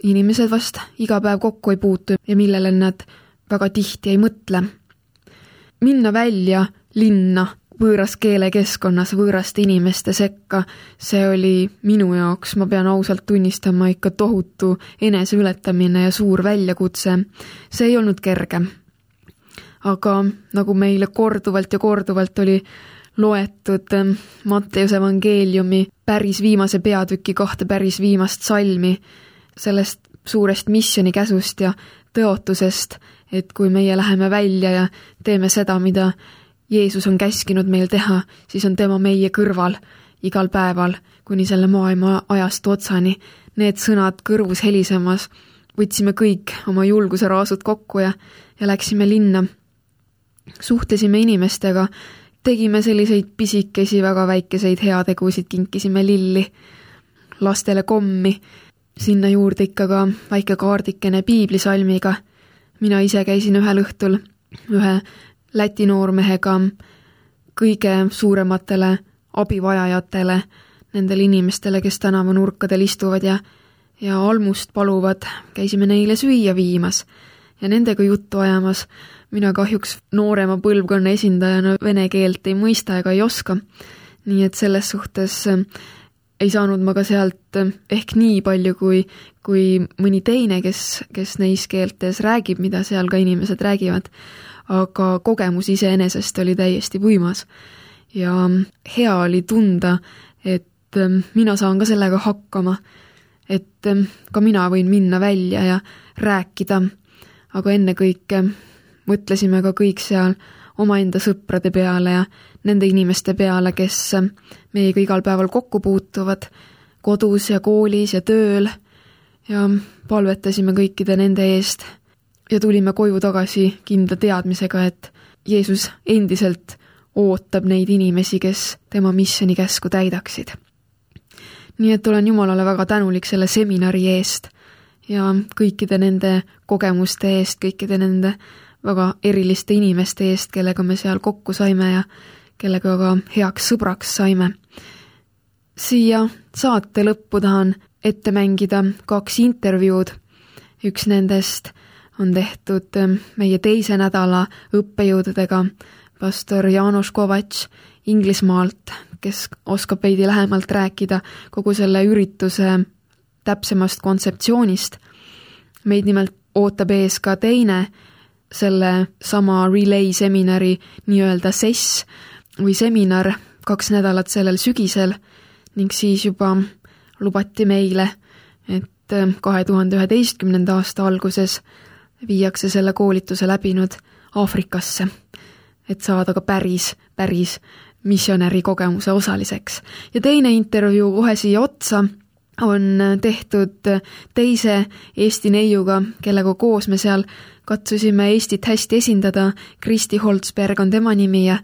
inimesed vast iga päev kokku ei puutu ja millele nad väga tihti ei mõtle. Minna välja linna võõras keelekeskkonnas võõraste inimeste sekka, see oli minu jaoks, ma pean ausalt tunnistama, ikka tohutu eneseületamine ja suur väljakutse. See ei olnud kerge. Aga nagu meile korduvalt ja korduvalt oli loetud Matteuse evangeeliumi päris viimase peatüki 2 päris viimast salmi, sellest suurest missioni käsust ja tõotusest, et kui meie läheme välja ja teeme seda, mida Jeesus on käskinud meil teha, siis on tema meie kõrval igal päeval, kuni selle maailma ajastu otsani. Need sõnad kõrvus helisemas, võtsime kõik oma julguse raasud kokku ja läksime linna. Suhtlesime inimestega, tegime selliseid pisikesi, väga väikeseid heategusid, kinkisime lilli, lastele kommi, sinna juurde ikka ka väike kaardikene piiblisalmiga. Mina ise käisin ühel õhtul ühe Läti noormehega kõige suurematele abivajajatele, nendele inimestele, kes tänavanurkadel istuvad ja almust paluvad, käisime neile süüa viimas ja nendega juttu ajamas. Mina kahjuks noorema põlvkonna esindajana vene keelt ei mõista ega ei oska, nii et selles suhtes ei saanud ma ka sealt ehk nii palju kui mõni teine, kes neis keeltes räägib, mida seal ka inimesed räägivad. Aga kogemus iseenesest oli täiesti võimas ja hea oli tunda, et mina saan ka sellega hakkama, et ka mina võin minna välja ja rääkida, aga ennekõike mõtlesime ka kõik seal omaenda sõprade peale ja nende inimeste peale, kes meiega igal päeval kokku puutuvad, kodus ja koolis ja tööl ja palvetasime kõikide nende eest. Ja tulime koju tagasi kindla teadmisega, et Jeesus endiselt ootab neid inimesi, kes tema missioni käsku täidaksid. Nii et olen Jumalale väga tänulik selle seminari eest ja kõikide nende kogemuste eest, kõikide nende väga eriliste inimeste eest, kellega me seal kokku saime ja kellega ka heaks sõbraks saime. Siia saate lõppu tahan ette mängida 2 intervjuud. Üks nendest on tehtud meie teise nädala õppejõududega, pastor János Kovacs Inglismaalt, kes oskab veidi lähemalt rääkida kogu selle ürituse täpsemast kontseptsioonist. Meid nimelt ootab ees ka teine selle sama Relay seminari nii-öelda sess või seminar 2 nädalat sellel sügisel ning siis juba lubati meile, et 2011. aasta alguses viiakse selle koolituse läbinud Aafrikasse, et saada ka päris missionäri kogemuse osaliseks. Ja teine intervjuu kohe siia otsa on tehtud teise Eesti neiuga, kellega koos me seal katsusime Eestit hästi esindada. Kristi Holtzberg on tema nimi ja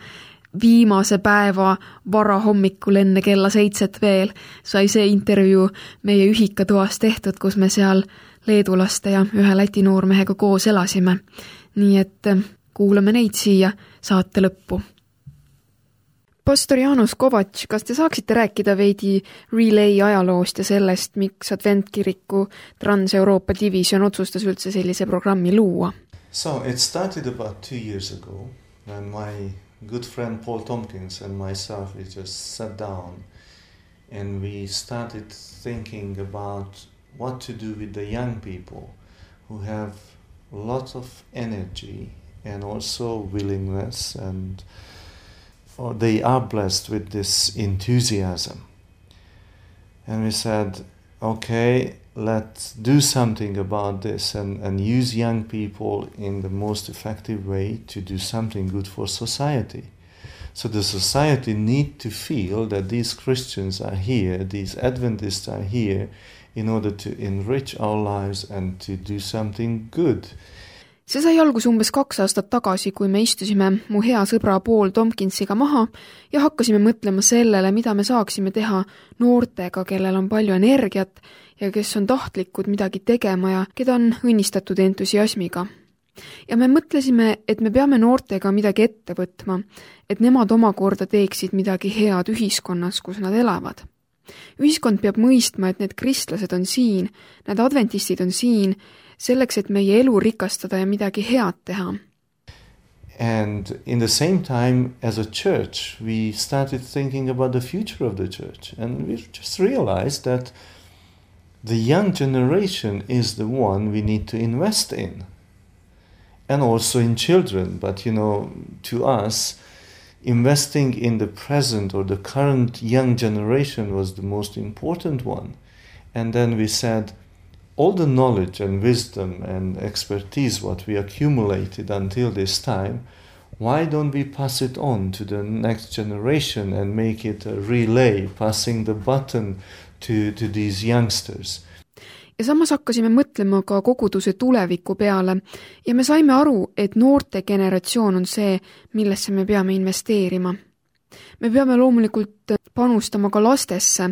viimase päeva varahommikul enne kella 7 veel sai see intervjuu meie ühikatoas tehtud, kus me seal leedulaste ja ühe Läti noormehega koos elasime. Nii et kuulame neid siia saate lõppu. Pastor János Kovacs, kas te saaksite rääkida veidi Relay ajaloost ja sellest, miks Adventkiriku Trans-Euroopa division otsustas üldse sellise programmi luua? So it started about 2 years ago when my good friend Paul Tompkins and myself, we just sat down and we started thinking about what to do with the young people who have lots of energy and also willingness, and or they are blessed with this enthusiasm. And we said, okay, let's do something about this and use young people in the most effective way to do something good for society. So the society need to feel that these Christians are here, these Adventists are here in order to enrich our lives and to do something good. See sai algus umbes 2 aastat tagasi, kui me istusime mu hea sõbra Paul Tompkinsiga maha ja hakkasime mõtlema sellele, mida me saaksime teha noortega, kellel on palju energiat ja kes on tahtlikud midagi tegema ja keda on õnnistatud entusiasmiga. Ja me mõtlesime, et me peame noortega midagi ette võtma, et nemad omakorda teeksid midagi head ühiskonnas, kus nad elavad. Ühiskond peab mõistma, et need kristlased on siin, need adventistid on siin, selleks, et meie elu rikastada ja midagi head teha. And in the same time, as a church, we started thinking about the future of the church. And we just realized that the young generation is the one we need to invest in. And also in children. But, to us, investing in the present or the current young generation was the most important one. And then we said, all the knowledge and wisdom and expertise what we accumulated until this time, why don't we pass it on to the next generation and make it a relay, passing the baton to these youngsters? Ja samas hakkasime mõtlema ka koguduse tuleviku peale ja me saime aru, et noorte generatsioon on see, millesse me peame investeerima. Me peame loomulikult panustama ka lastesse,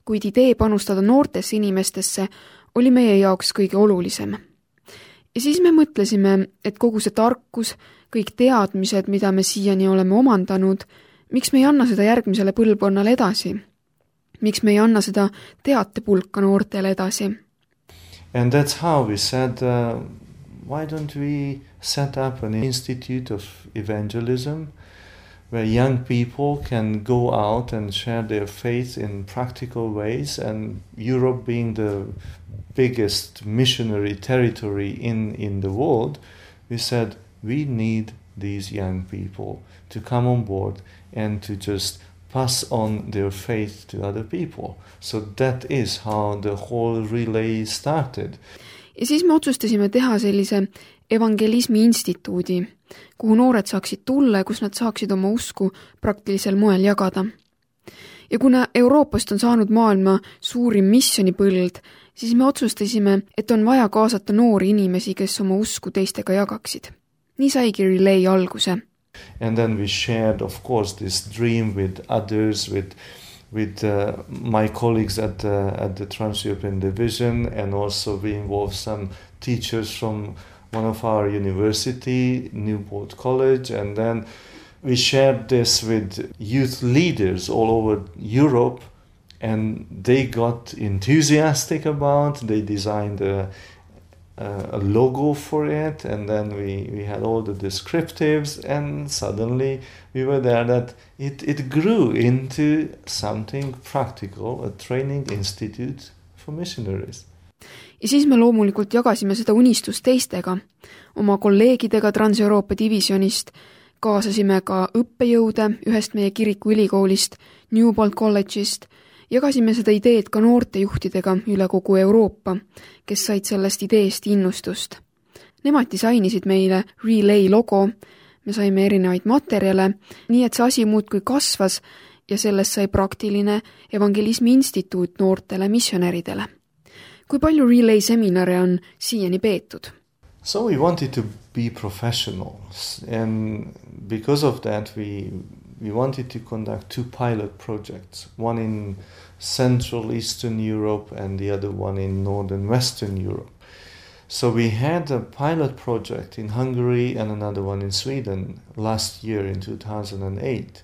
kuid idee panustada noortesse inimestesse oli meie jaoks kõige olulisem. Ja siis me mõtlesime, et kogu see tarkus, kõik teadmised, mida me siiani oleme omandanud, miks me ei anna seda järgmisele põlvkonnale edasi? Miks me ei anna seda teatepulka noortele edasi? And that's how we said, why don't we set up an institute of evangelism where young people can go out and share their faith in practical ways, and Europe being the biggest missionary territory in the world, we said we need these young people to come on board and to just pass on their faith to other people. So that is how the whole relay started. Ja siis me otsustasime teha sellise evangelismi instituudi, kuhu noored saaksid tulla ja kus nad saaksid oma usku praktilisel moel jagada. Ja kuna Euroopast on saanud maailma suurim missionipõld, siis me otsustasime, et on vaja kaasata noori inimesi, kes oma usku teistega jagaksid. Nii saigi relay alguse. And then we shared, of course, this dream with others, with my colleagues at the Trans-European Division, and also we involved some teachers from one of our university, Newport College, and then we shared this with youth leaders all over Europe, and they got enthusiastic about. They designed a logo for it, and then we had all the descriptives, and suddenly we were there that it grew into something practical, a training institute for missionaries. Ja siis me loomulikult jagasime seda unistust teistega, oma kolleegidega Trans-Euroopa divisionist, kaasasime ka õppejõude ühest meie kiriku ülikoolist, Newport College'ist, jagasime seda ideed ka noortejuhtidega üle kogu Euroopa, kes said sellest ideest innustust. Nemad disainisid meile relay logo, me saime erinevaid materjale, nii et see asi muudkui kasvas ja sellest sai praktiline evangelismi instituut noortele missionäridele. Kui palju relay seminare on siiani peetud? So we wanted to be professionals, and because of that we wanted to conduct 2 pilot projects, one in Central Eastern Europe and the other one in Northern Western Europe. So we had a pilot project in Hungary and another one in Sweden last year in 2008.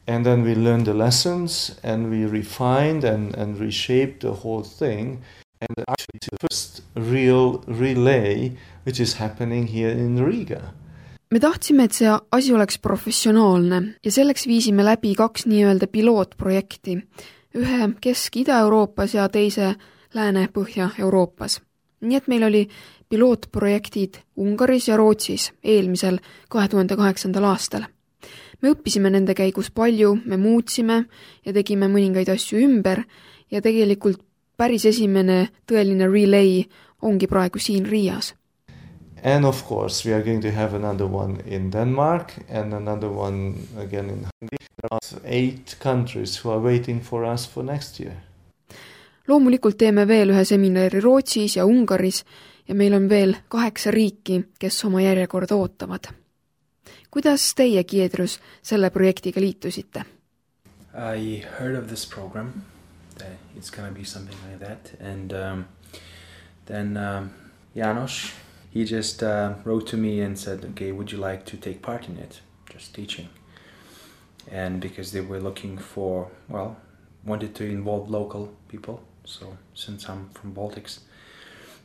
And then we learned the lessons and we refined and reshaped the whole thing. And actually the first real relay, which is happening here in Riga. Me tahtsime, et see asi oleks professionaalne ja selleks viisime läbi 2 nii-öelda pilootprojekti, ühe Kesk-Ida-Euroopas ja teise Lääne-Põhja-Euroopas. Nii et meil oli pilootprojektid Ungaris ja Rootsis eelmisel 2008. aastal. Me õppisime nende käigus palju, me muutsime ja tegime mõningaid asju ümber ja tegelikult päris esimene tõeline relay ongi praegu siin Riias. And of course, we are going to have another one in Denmark and another one again in Hungary. There are 8 countries who are waiting for us for next year. Loomulikult teeme veel ühe seminari Rootsis ja Ungaris ja meil on veel 8 riiki, kes oma järjekorda ootavad. Kuidas teie, Giedrus, selle projektiga liitusite? I heard of this program, that it's going to be something like that. And then Janos, he just wrote to me and said, okay, would you like to take part in it? Just teaching. And because they were looking for, well, wanted to involve local people. So since I'm from Baltics,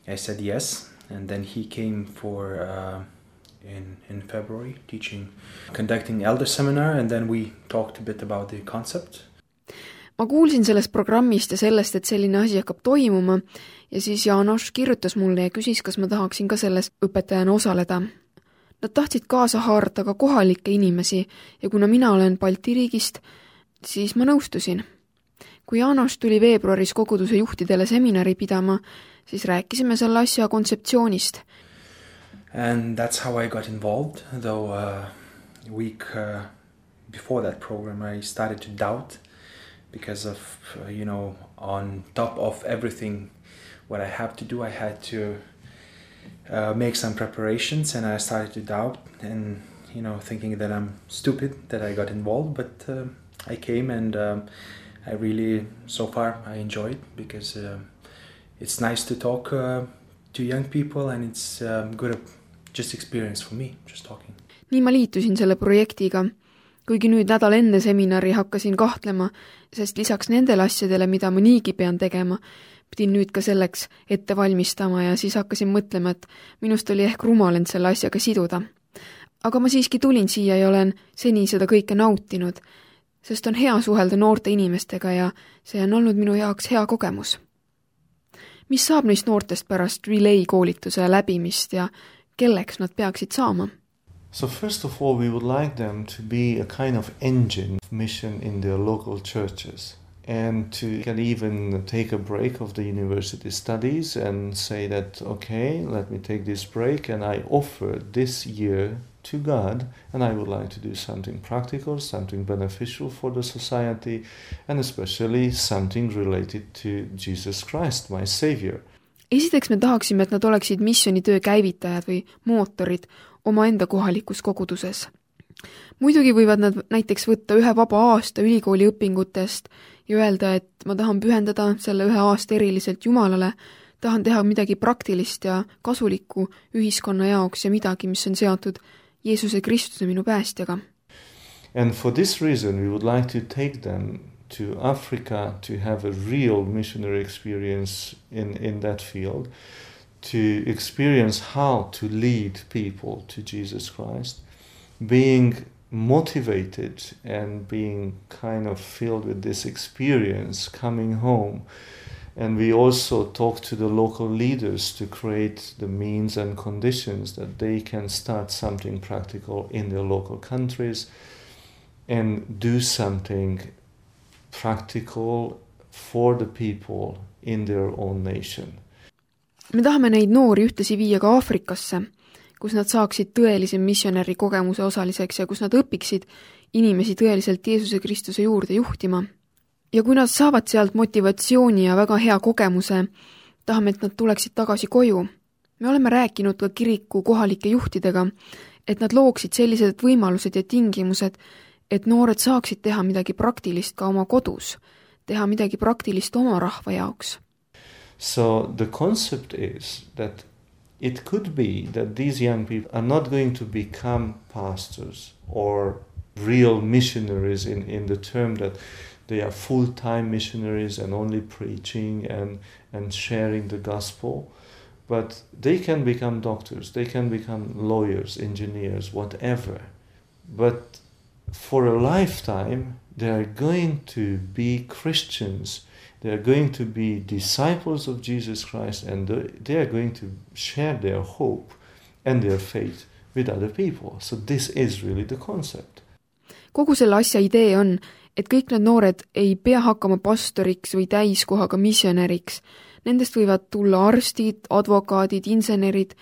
I said yes. And then he came for in February teaching, conducting elder seminar, and then we talked a bit about the concept. Ma kuulsin sellest programmist ja sellest, et selline asi hakkab toimuma ja siis Janos kirjutas mulle ja küsis, kas ma tahaksin ka selles õpetajana osaleda. Nad tahtsid kaasa haarata ka kohalikke inimesi ja kuna mina olen Balti riigist, siis ma nõustusin. Kui Janos tuli veebruaris koguduse juhtidele seminari pidama, siis rääkisime selle asja kontseptsioonist. And that's how I got involved, though a week before that program I started to doubt because of, on top of everything what I have to do, I had to make some preparations, and I started to doubt and, thinking that I'm stupid that I got involved, but I came and I really, so far, I enjoyed because it's nice to talk to young people and it's good just experience for me, just talking. Nii ma liitusin selle projektiga, kuigi nüüd nädal enne seminari hakkasin kahtlema, sest lisaks nendele asjadele, mida ma niigi pean tegema, pidin nüüd ka selleks ette valmistama ja siis hakkasin mõtlema, et minust oli ehk rumal end selle asjaga siduda. Aga ma siiski tulin siia ja olen seni seda kõike nautinud, sest on hea suhelda noorte inimestega ja see on olnud minu jaoks hea kogemus. Mis saab neist noortest pärast relay koolituse läbimist ja kelleks nad peaksid saama? So first of all, we would like them to be a kind of engine of mission in their local churches and to can even take a break of the university studies and say that, okay, let me take this break and I offer this year to God and I would like to do something practical, something beneficial for the society and especially something related to Jesus Christ, my Savior. Esiteks me tahaksime, et nad oleksid missioonitöö käivitajad või mootorid omaenda kohalikus koguduses. Muidugi võivad nad näiteks võtta 1 vaba aasta ülikooli õpingutest ja öelda, et ma tahan pühendada selle 1 aasta eriliselt Jumalale, tahan teha midagi praktilist ja kasulikku ühiskonna jaoks ja midagi, mis on seotud Jeesuse Kristuse minu päästjaga. And for this reason we would like to take them to Africa to have a real missionary experience in that field, to experience how to lead people to Jesus Christ, being motivated and being kind of filled with this experience coming home. And we also talk to the local leaders to create the means and conditions that they can start something practical in their local countries and do something practical for the people in their own nation. Me tahame neid noori ühtlasi viia ka Aafrikasse, kus nad saaksid tõelise missionäri kogemuse osaliseks ja kus nad õpiksid inimesi tõeliselt Jeesuse Kristuse juurde juhtima. Ja kui nad saavad sealt motivatsiooni ja väga hea kogemuse, tahame, et nad tuleksid tagasi koju. Me oleme rääkinud ka kiriku kohalike juhtidega, et nad looksid sellised võimalused ja tingimused, et noored saaksid teha midagi praktilist ka oma kodus, teha midagi praktilist oma rahva jaoks. So the concept is that it could be that these young people are not going to become pastors or real missionaries in the term that they are full-time missionaries and only preaching and sharing the gospel, but they can become doctors, they can become lawyers, engineers, whatever. But for a lifetime, they are going to be Christians. They are going to be disciples of Jesus Christ and they are going to share their hope and their faith with other people. So this is really the concept. Kogu selle asja idee on, et kõik need noored ei pea hakkama pastoriks või täiskohaga missionäriks. Nendest võivad tulla arstid, advokaadid, insenerid,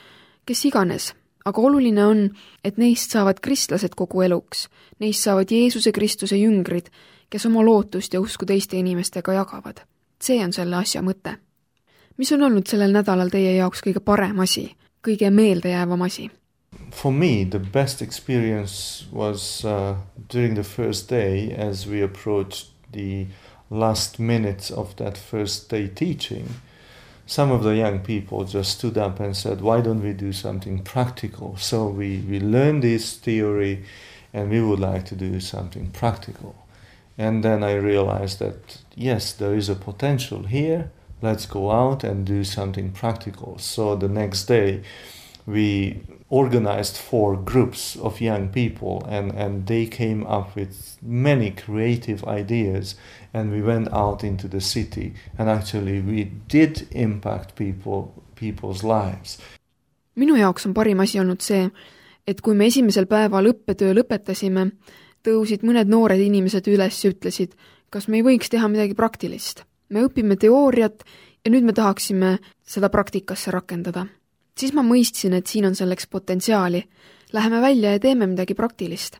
kes iganes. Aga oluline on, et neist saavad kristlased kogu eluks. Neist saavad Jeesuse Kristuse jüngrid, kes oma lootust ja usku teiste inimestega jagavad. See on selle asja mõte. Mis on olnud sellel nädalal teie jaoks kõige parem asi, kõige meeldejäävam asi? For me, the best experience was during the first day as we approached the last minutes of that first day teaching. Some of the young people just stood up and said, why don't we do something practical? So we learned this theory and we would like to do something practical. And then I realized that, yes, there is a potential here. Let's go out and do something practical. So the next day we organized 4 groups of young people and they came up with many creative ideas and we went out into the city and actually we did impact people's lives. Minu jaoks on parim asi olnud see, et kui me esimesel päeval õppetöö lõpetasime, tõusid mõned noored inimesed üles ja ütlesid, kas me ei võiks teha midagi praktilist. Me õpime teooriat ja nüüd me tahaksime seda praktikasse rakendada. Siis ma mõistsin, et siin on selleks potentsiaali. Läheme välja ja teeme midagi praktilist.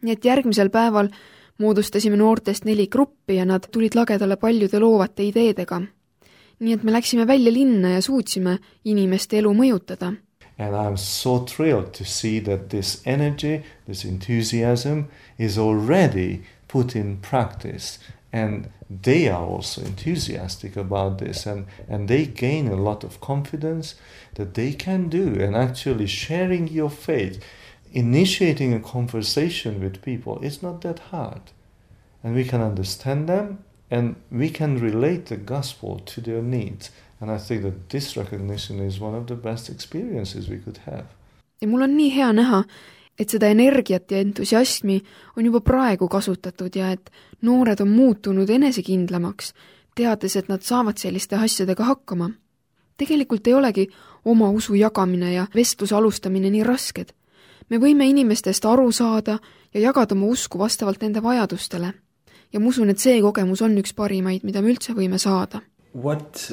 Nii et järgmisel päeval moodustasime noortest 4 gruppi ja nad tulid lagedale paljude loovate ideedega. Nii et me läksime välja linna ja suutsime inimeste elu mõjutada. And I'm so thrilled to see that this energy, this enthusiasm is already put in practice. And they are also enthusiastic about this and they gain a lot of confidence that they can do. And actually sharing your faith, initiating a conversation with people, it's not that hard. And we can understand them and we can relate the gospel to their needs. And I think that this recognition is one of the best experiences we could have. Ja mul on nii hea näha, et seda energiat ja entusiasmi on juba praegu kasutatud ja et noored on muutunud enesekindlamaks, teades, et nad saavad selliste asjadega hakkama. Tegelikult ei olegi oma usu jagamine ja vestluse alustamine nii rasked. Me võime inimestest aru saada ja jagada oma usku vastavalt nende vajadustele. Ja ma usun, et see kogemus on üks parimaid, mida me üldse võime saada. What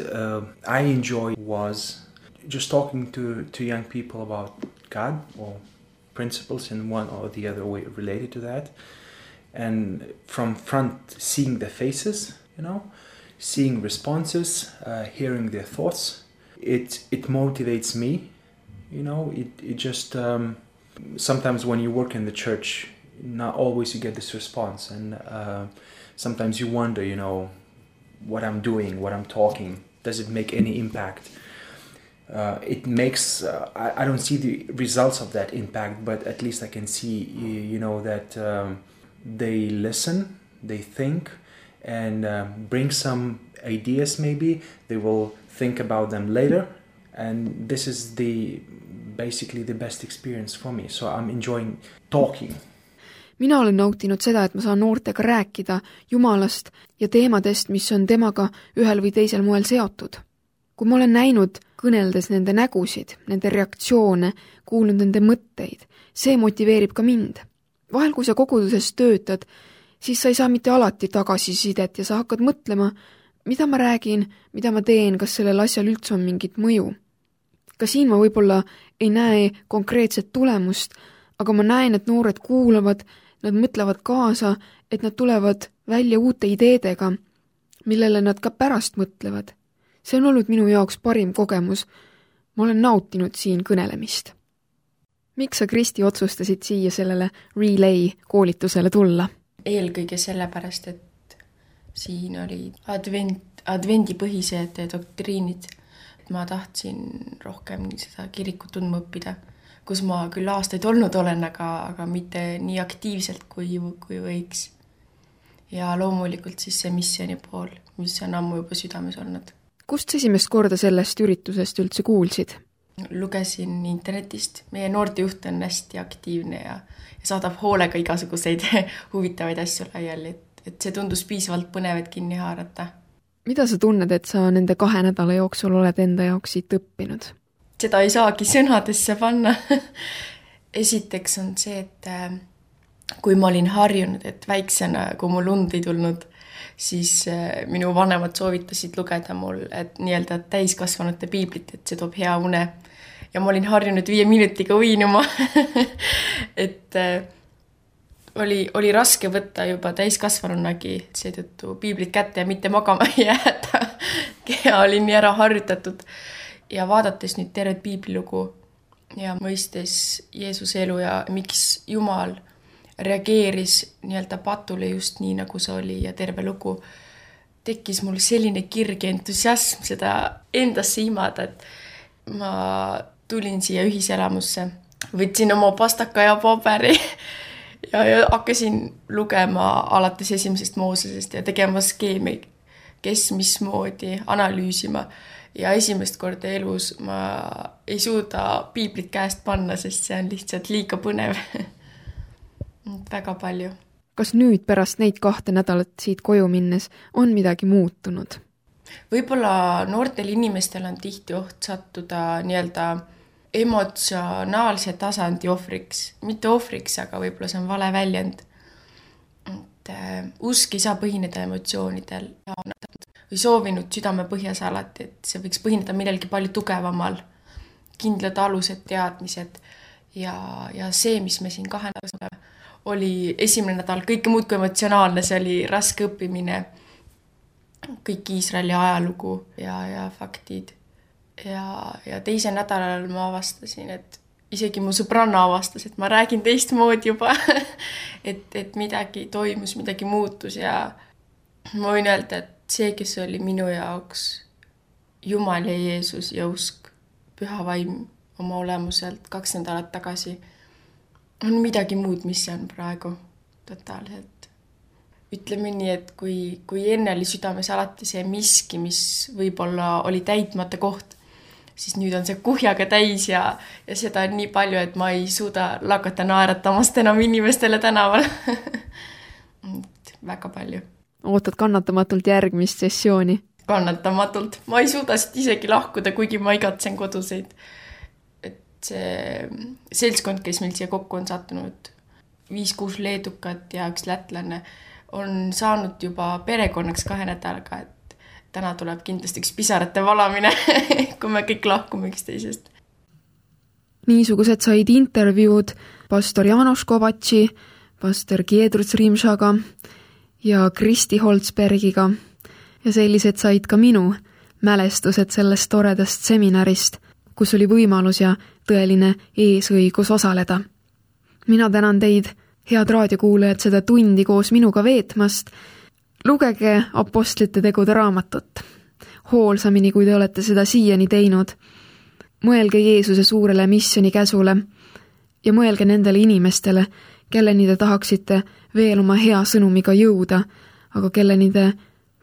I enjoyed was just talking to young people about God or principles in one or the other way related to that, and from front seeing their faces, seeing responses, hearing their thoughts. It motivates me, it just sometimes when you work in the church, not always you get this response, and sometimes you wonder, what I'm doing, what I'm talking, does it make any impact? It makes, I don't see the results of that impact, but at least I can see, that they listen, they think, and bring some ideas maybe. They will think about them later, and this is basically the best experience for me. So I'm enjoying talking. Mina olen nautinud seda, et ma saan noortega rääkida Jumalast ja teemadest, mis on temaga ühel või teisel moel seotud. Kui ma olen näinud kõneldes nende nägusid, nende reaktsioone, kuulnud nende mõtteid, see motiveerib ka mind. Vahel, kui sa koguduses töötad, siis sa ei saa mitte alati tagasisidet ja sa hakkad mõtlema, mida ma räägin, mida ma teen, kas sellel asjal üldse on mingit mõju. Ka siin ma võib-olla ei näe konkreetset tulemust, aga ma näen, et noored kuulavad, nad mõtlevad kaasa, et nad tulevad välja uute ideedega, millele nad ka pärast mõtlevad. See on olnud minu jaoks parim kogemus. Ma olen nautinud siin kõnelemist. Miks sa, Kristi, otsustasid siia sellele Relay koolitusele tulla? Eelkõige sellepärast, et siin oli advendipõhised doktriinid. Ma tahtsin rohkem seda kirikut tundma õppida, kus ma küll aastaid olnud olen, aga mitte nii aktiivselt kui võiks. Ja loomulikult siis see missiooni pool, mis on ammu juba südames olnud. Kust esimest korda sellest üritusest üldse kuulsid? Lugesin internetist. Meie noortejuht on hästi aktiivne ja saadab hoolega igasuguseid huvitavaid asju laiali, et see tundus piisavalt põnev, et kinni haarata. Mida sa tunned, et sa nende 2 nädala jooksul oled enda jaoks siit õppinud? Seda ei saagi sõnadesse panna. Esiteks on see, et kui ma olin harjunud, et väiksena, kui mul und ei tulnud, siis minu vanemad soovitasid lugeda mul, et nii-öelda täiskasvanute piiblit, et see toob hea une. Ja ma olin harjunud 5 minutiga uinuma, et oli raske võtta juba täiskasvanunagi seetõttu piiblit kätte ja mitte magama jääda. Ja olin nii ära harjutatud ja vaadates nüüd tervet piiblilugu ja mõistes Jeesuse elu ja miks Jumal reageeris nii-öelda patule just nii, nagu see oli ja terve lugu, tekkis mul selline kirg ja entusiasm seda endasse imada, et ma tulin siia ühiselamusse, võtsin oma pastaka ja paberi ja hakkasin lugema alates 1. Moosesest ja tegema skeemi, kes mismoodi analüüsima. Ja esimest korda elus ma ei suuda piiblit käest panna, sest see on lihtsalt liiga põnev. Väga palju. Kas nüüd pärast neid 2 nädalat siit koju minnes on midagi muutunud? Võib-olla noortel inimestel on tihti oht sattuda nii-öelda emotsionaalse tasandi ohvriks. Mitte ohvriks, aga võib-olla see on vale väljend. Usk ei saa põhineda emotsioonidel või soovinud südame põhjas alati, et see võiks põhineda millelgi palju tugevamal, kindlad alused, teadmised ja see, mis me siin 2 nädal oli esimene nädal kõike muud kui emotsionaalne, see oli raske õppimine, kõik Iisraeli ajalugu ja faktid. Ja teisel nädalal ma avastasin, et isegi mu sõbranna avastas, et ma räägin teistmoodi juba, et midagi toimus, midagi muutus ja ma võin öelda, et see, kes oli minu jaoks Jumal ja Jeesus ja usk, püha vaim oma olemuselt 2 nädalat tagasi, on midagi muud, mis see on praegu totaalselt. Ütleme nii, et kui enne oli südames alati see miski, mis võib-olla oli täitmata koht, siis nüüd on see kuhjaga täis ja seda on nii palju, et ma ei suuda lakata naeratamast enam inimestele tänaval. Väga palju. Ootad kannatamatult järgmist sessiooni? Kannatamatult. Ma ei suuda siit isegi lahkuda, kuigi ma igatsen koduseid. See seltskond, kes meil siia kokku on sattunud, 5-6 leedukat ja 1 lätlane, on saanud juba perekonnaks 2 nädalaga, et täna tuleb kindlasti üks pisarate valamine, kui me kõik lahkume üksteisest. Niisugused said intervjuud pastor János Kovatši, pastor Giedrus Rimšaga ja Kristi Holzbergiga ja sellised said ka minu mälestused sellest toredast seminarist, kus oli võimalus ja tõeline eesõigus osaleda. Mina tänan teid, head raadiokuulajad, seda tundi koos minuga veetmast. Lugege Apostlite tegude raamatut. Hoolsamini, kui te olete seda siiani teinud. Mõelge Jeesuse suurele missioni käsule ja mõelge nendele inimestele, kelleni te tahaksite veel oma hea sõnumiga jõuda, aga kelleni te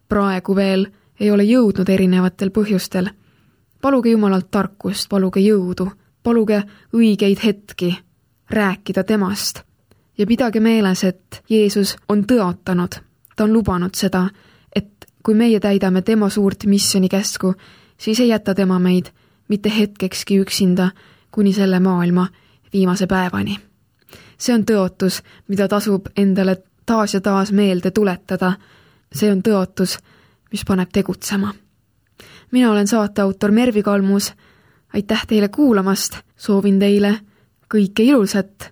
praegu veel ei ole jõudnud erinevatel põhjustel. Paluge Jumalalt tarkust, paluge jõudu, paluge õigeid hetki rääkida temast ja pidage meeles, et Jeesus on tõotanud, ta on lubanud seda, et kui meie täidame tema suurt missioni käsku, siis ei jäta tema meid mitte hetkekski üksinda kuni selle maailma viimase päevani. See on tõotus, mida tasub endale taas ja taas meelde tuletada. See on tõotus, mis paneb tegutsema. Mina olen saateautor Mervi Kalmus. Aitäh teile kuulamast. Soovin teile kõike ilusat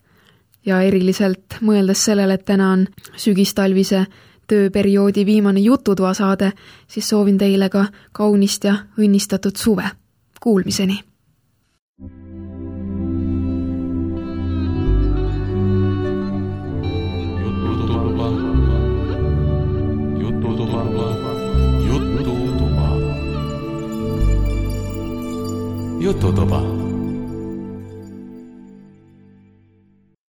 ja eriliselt mõeldes sellele, et täna on sügistalvise tööperioodi viimane jututoa saade, siis soovin teile ka kaunist ja õnnistatud suve. Kuulmiseni! Jututuba.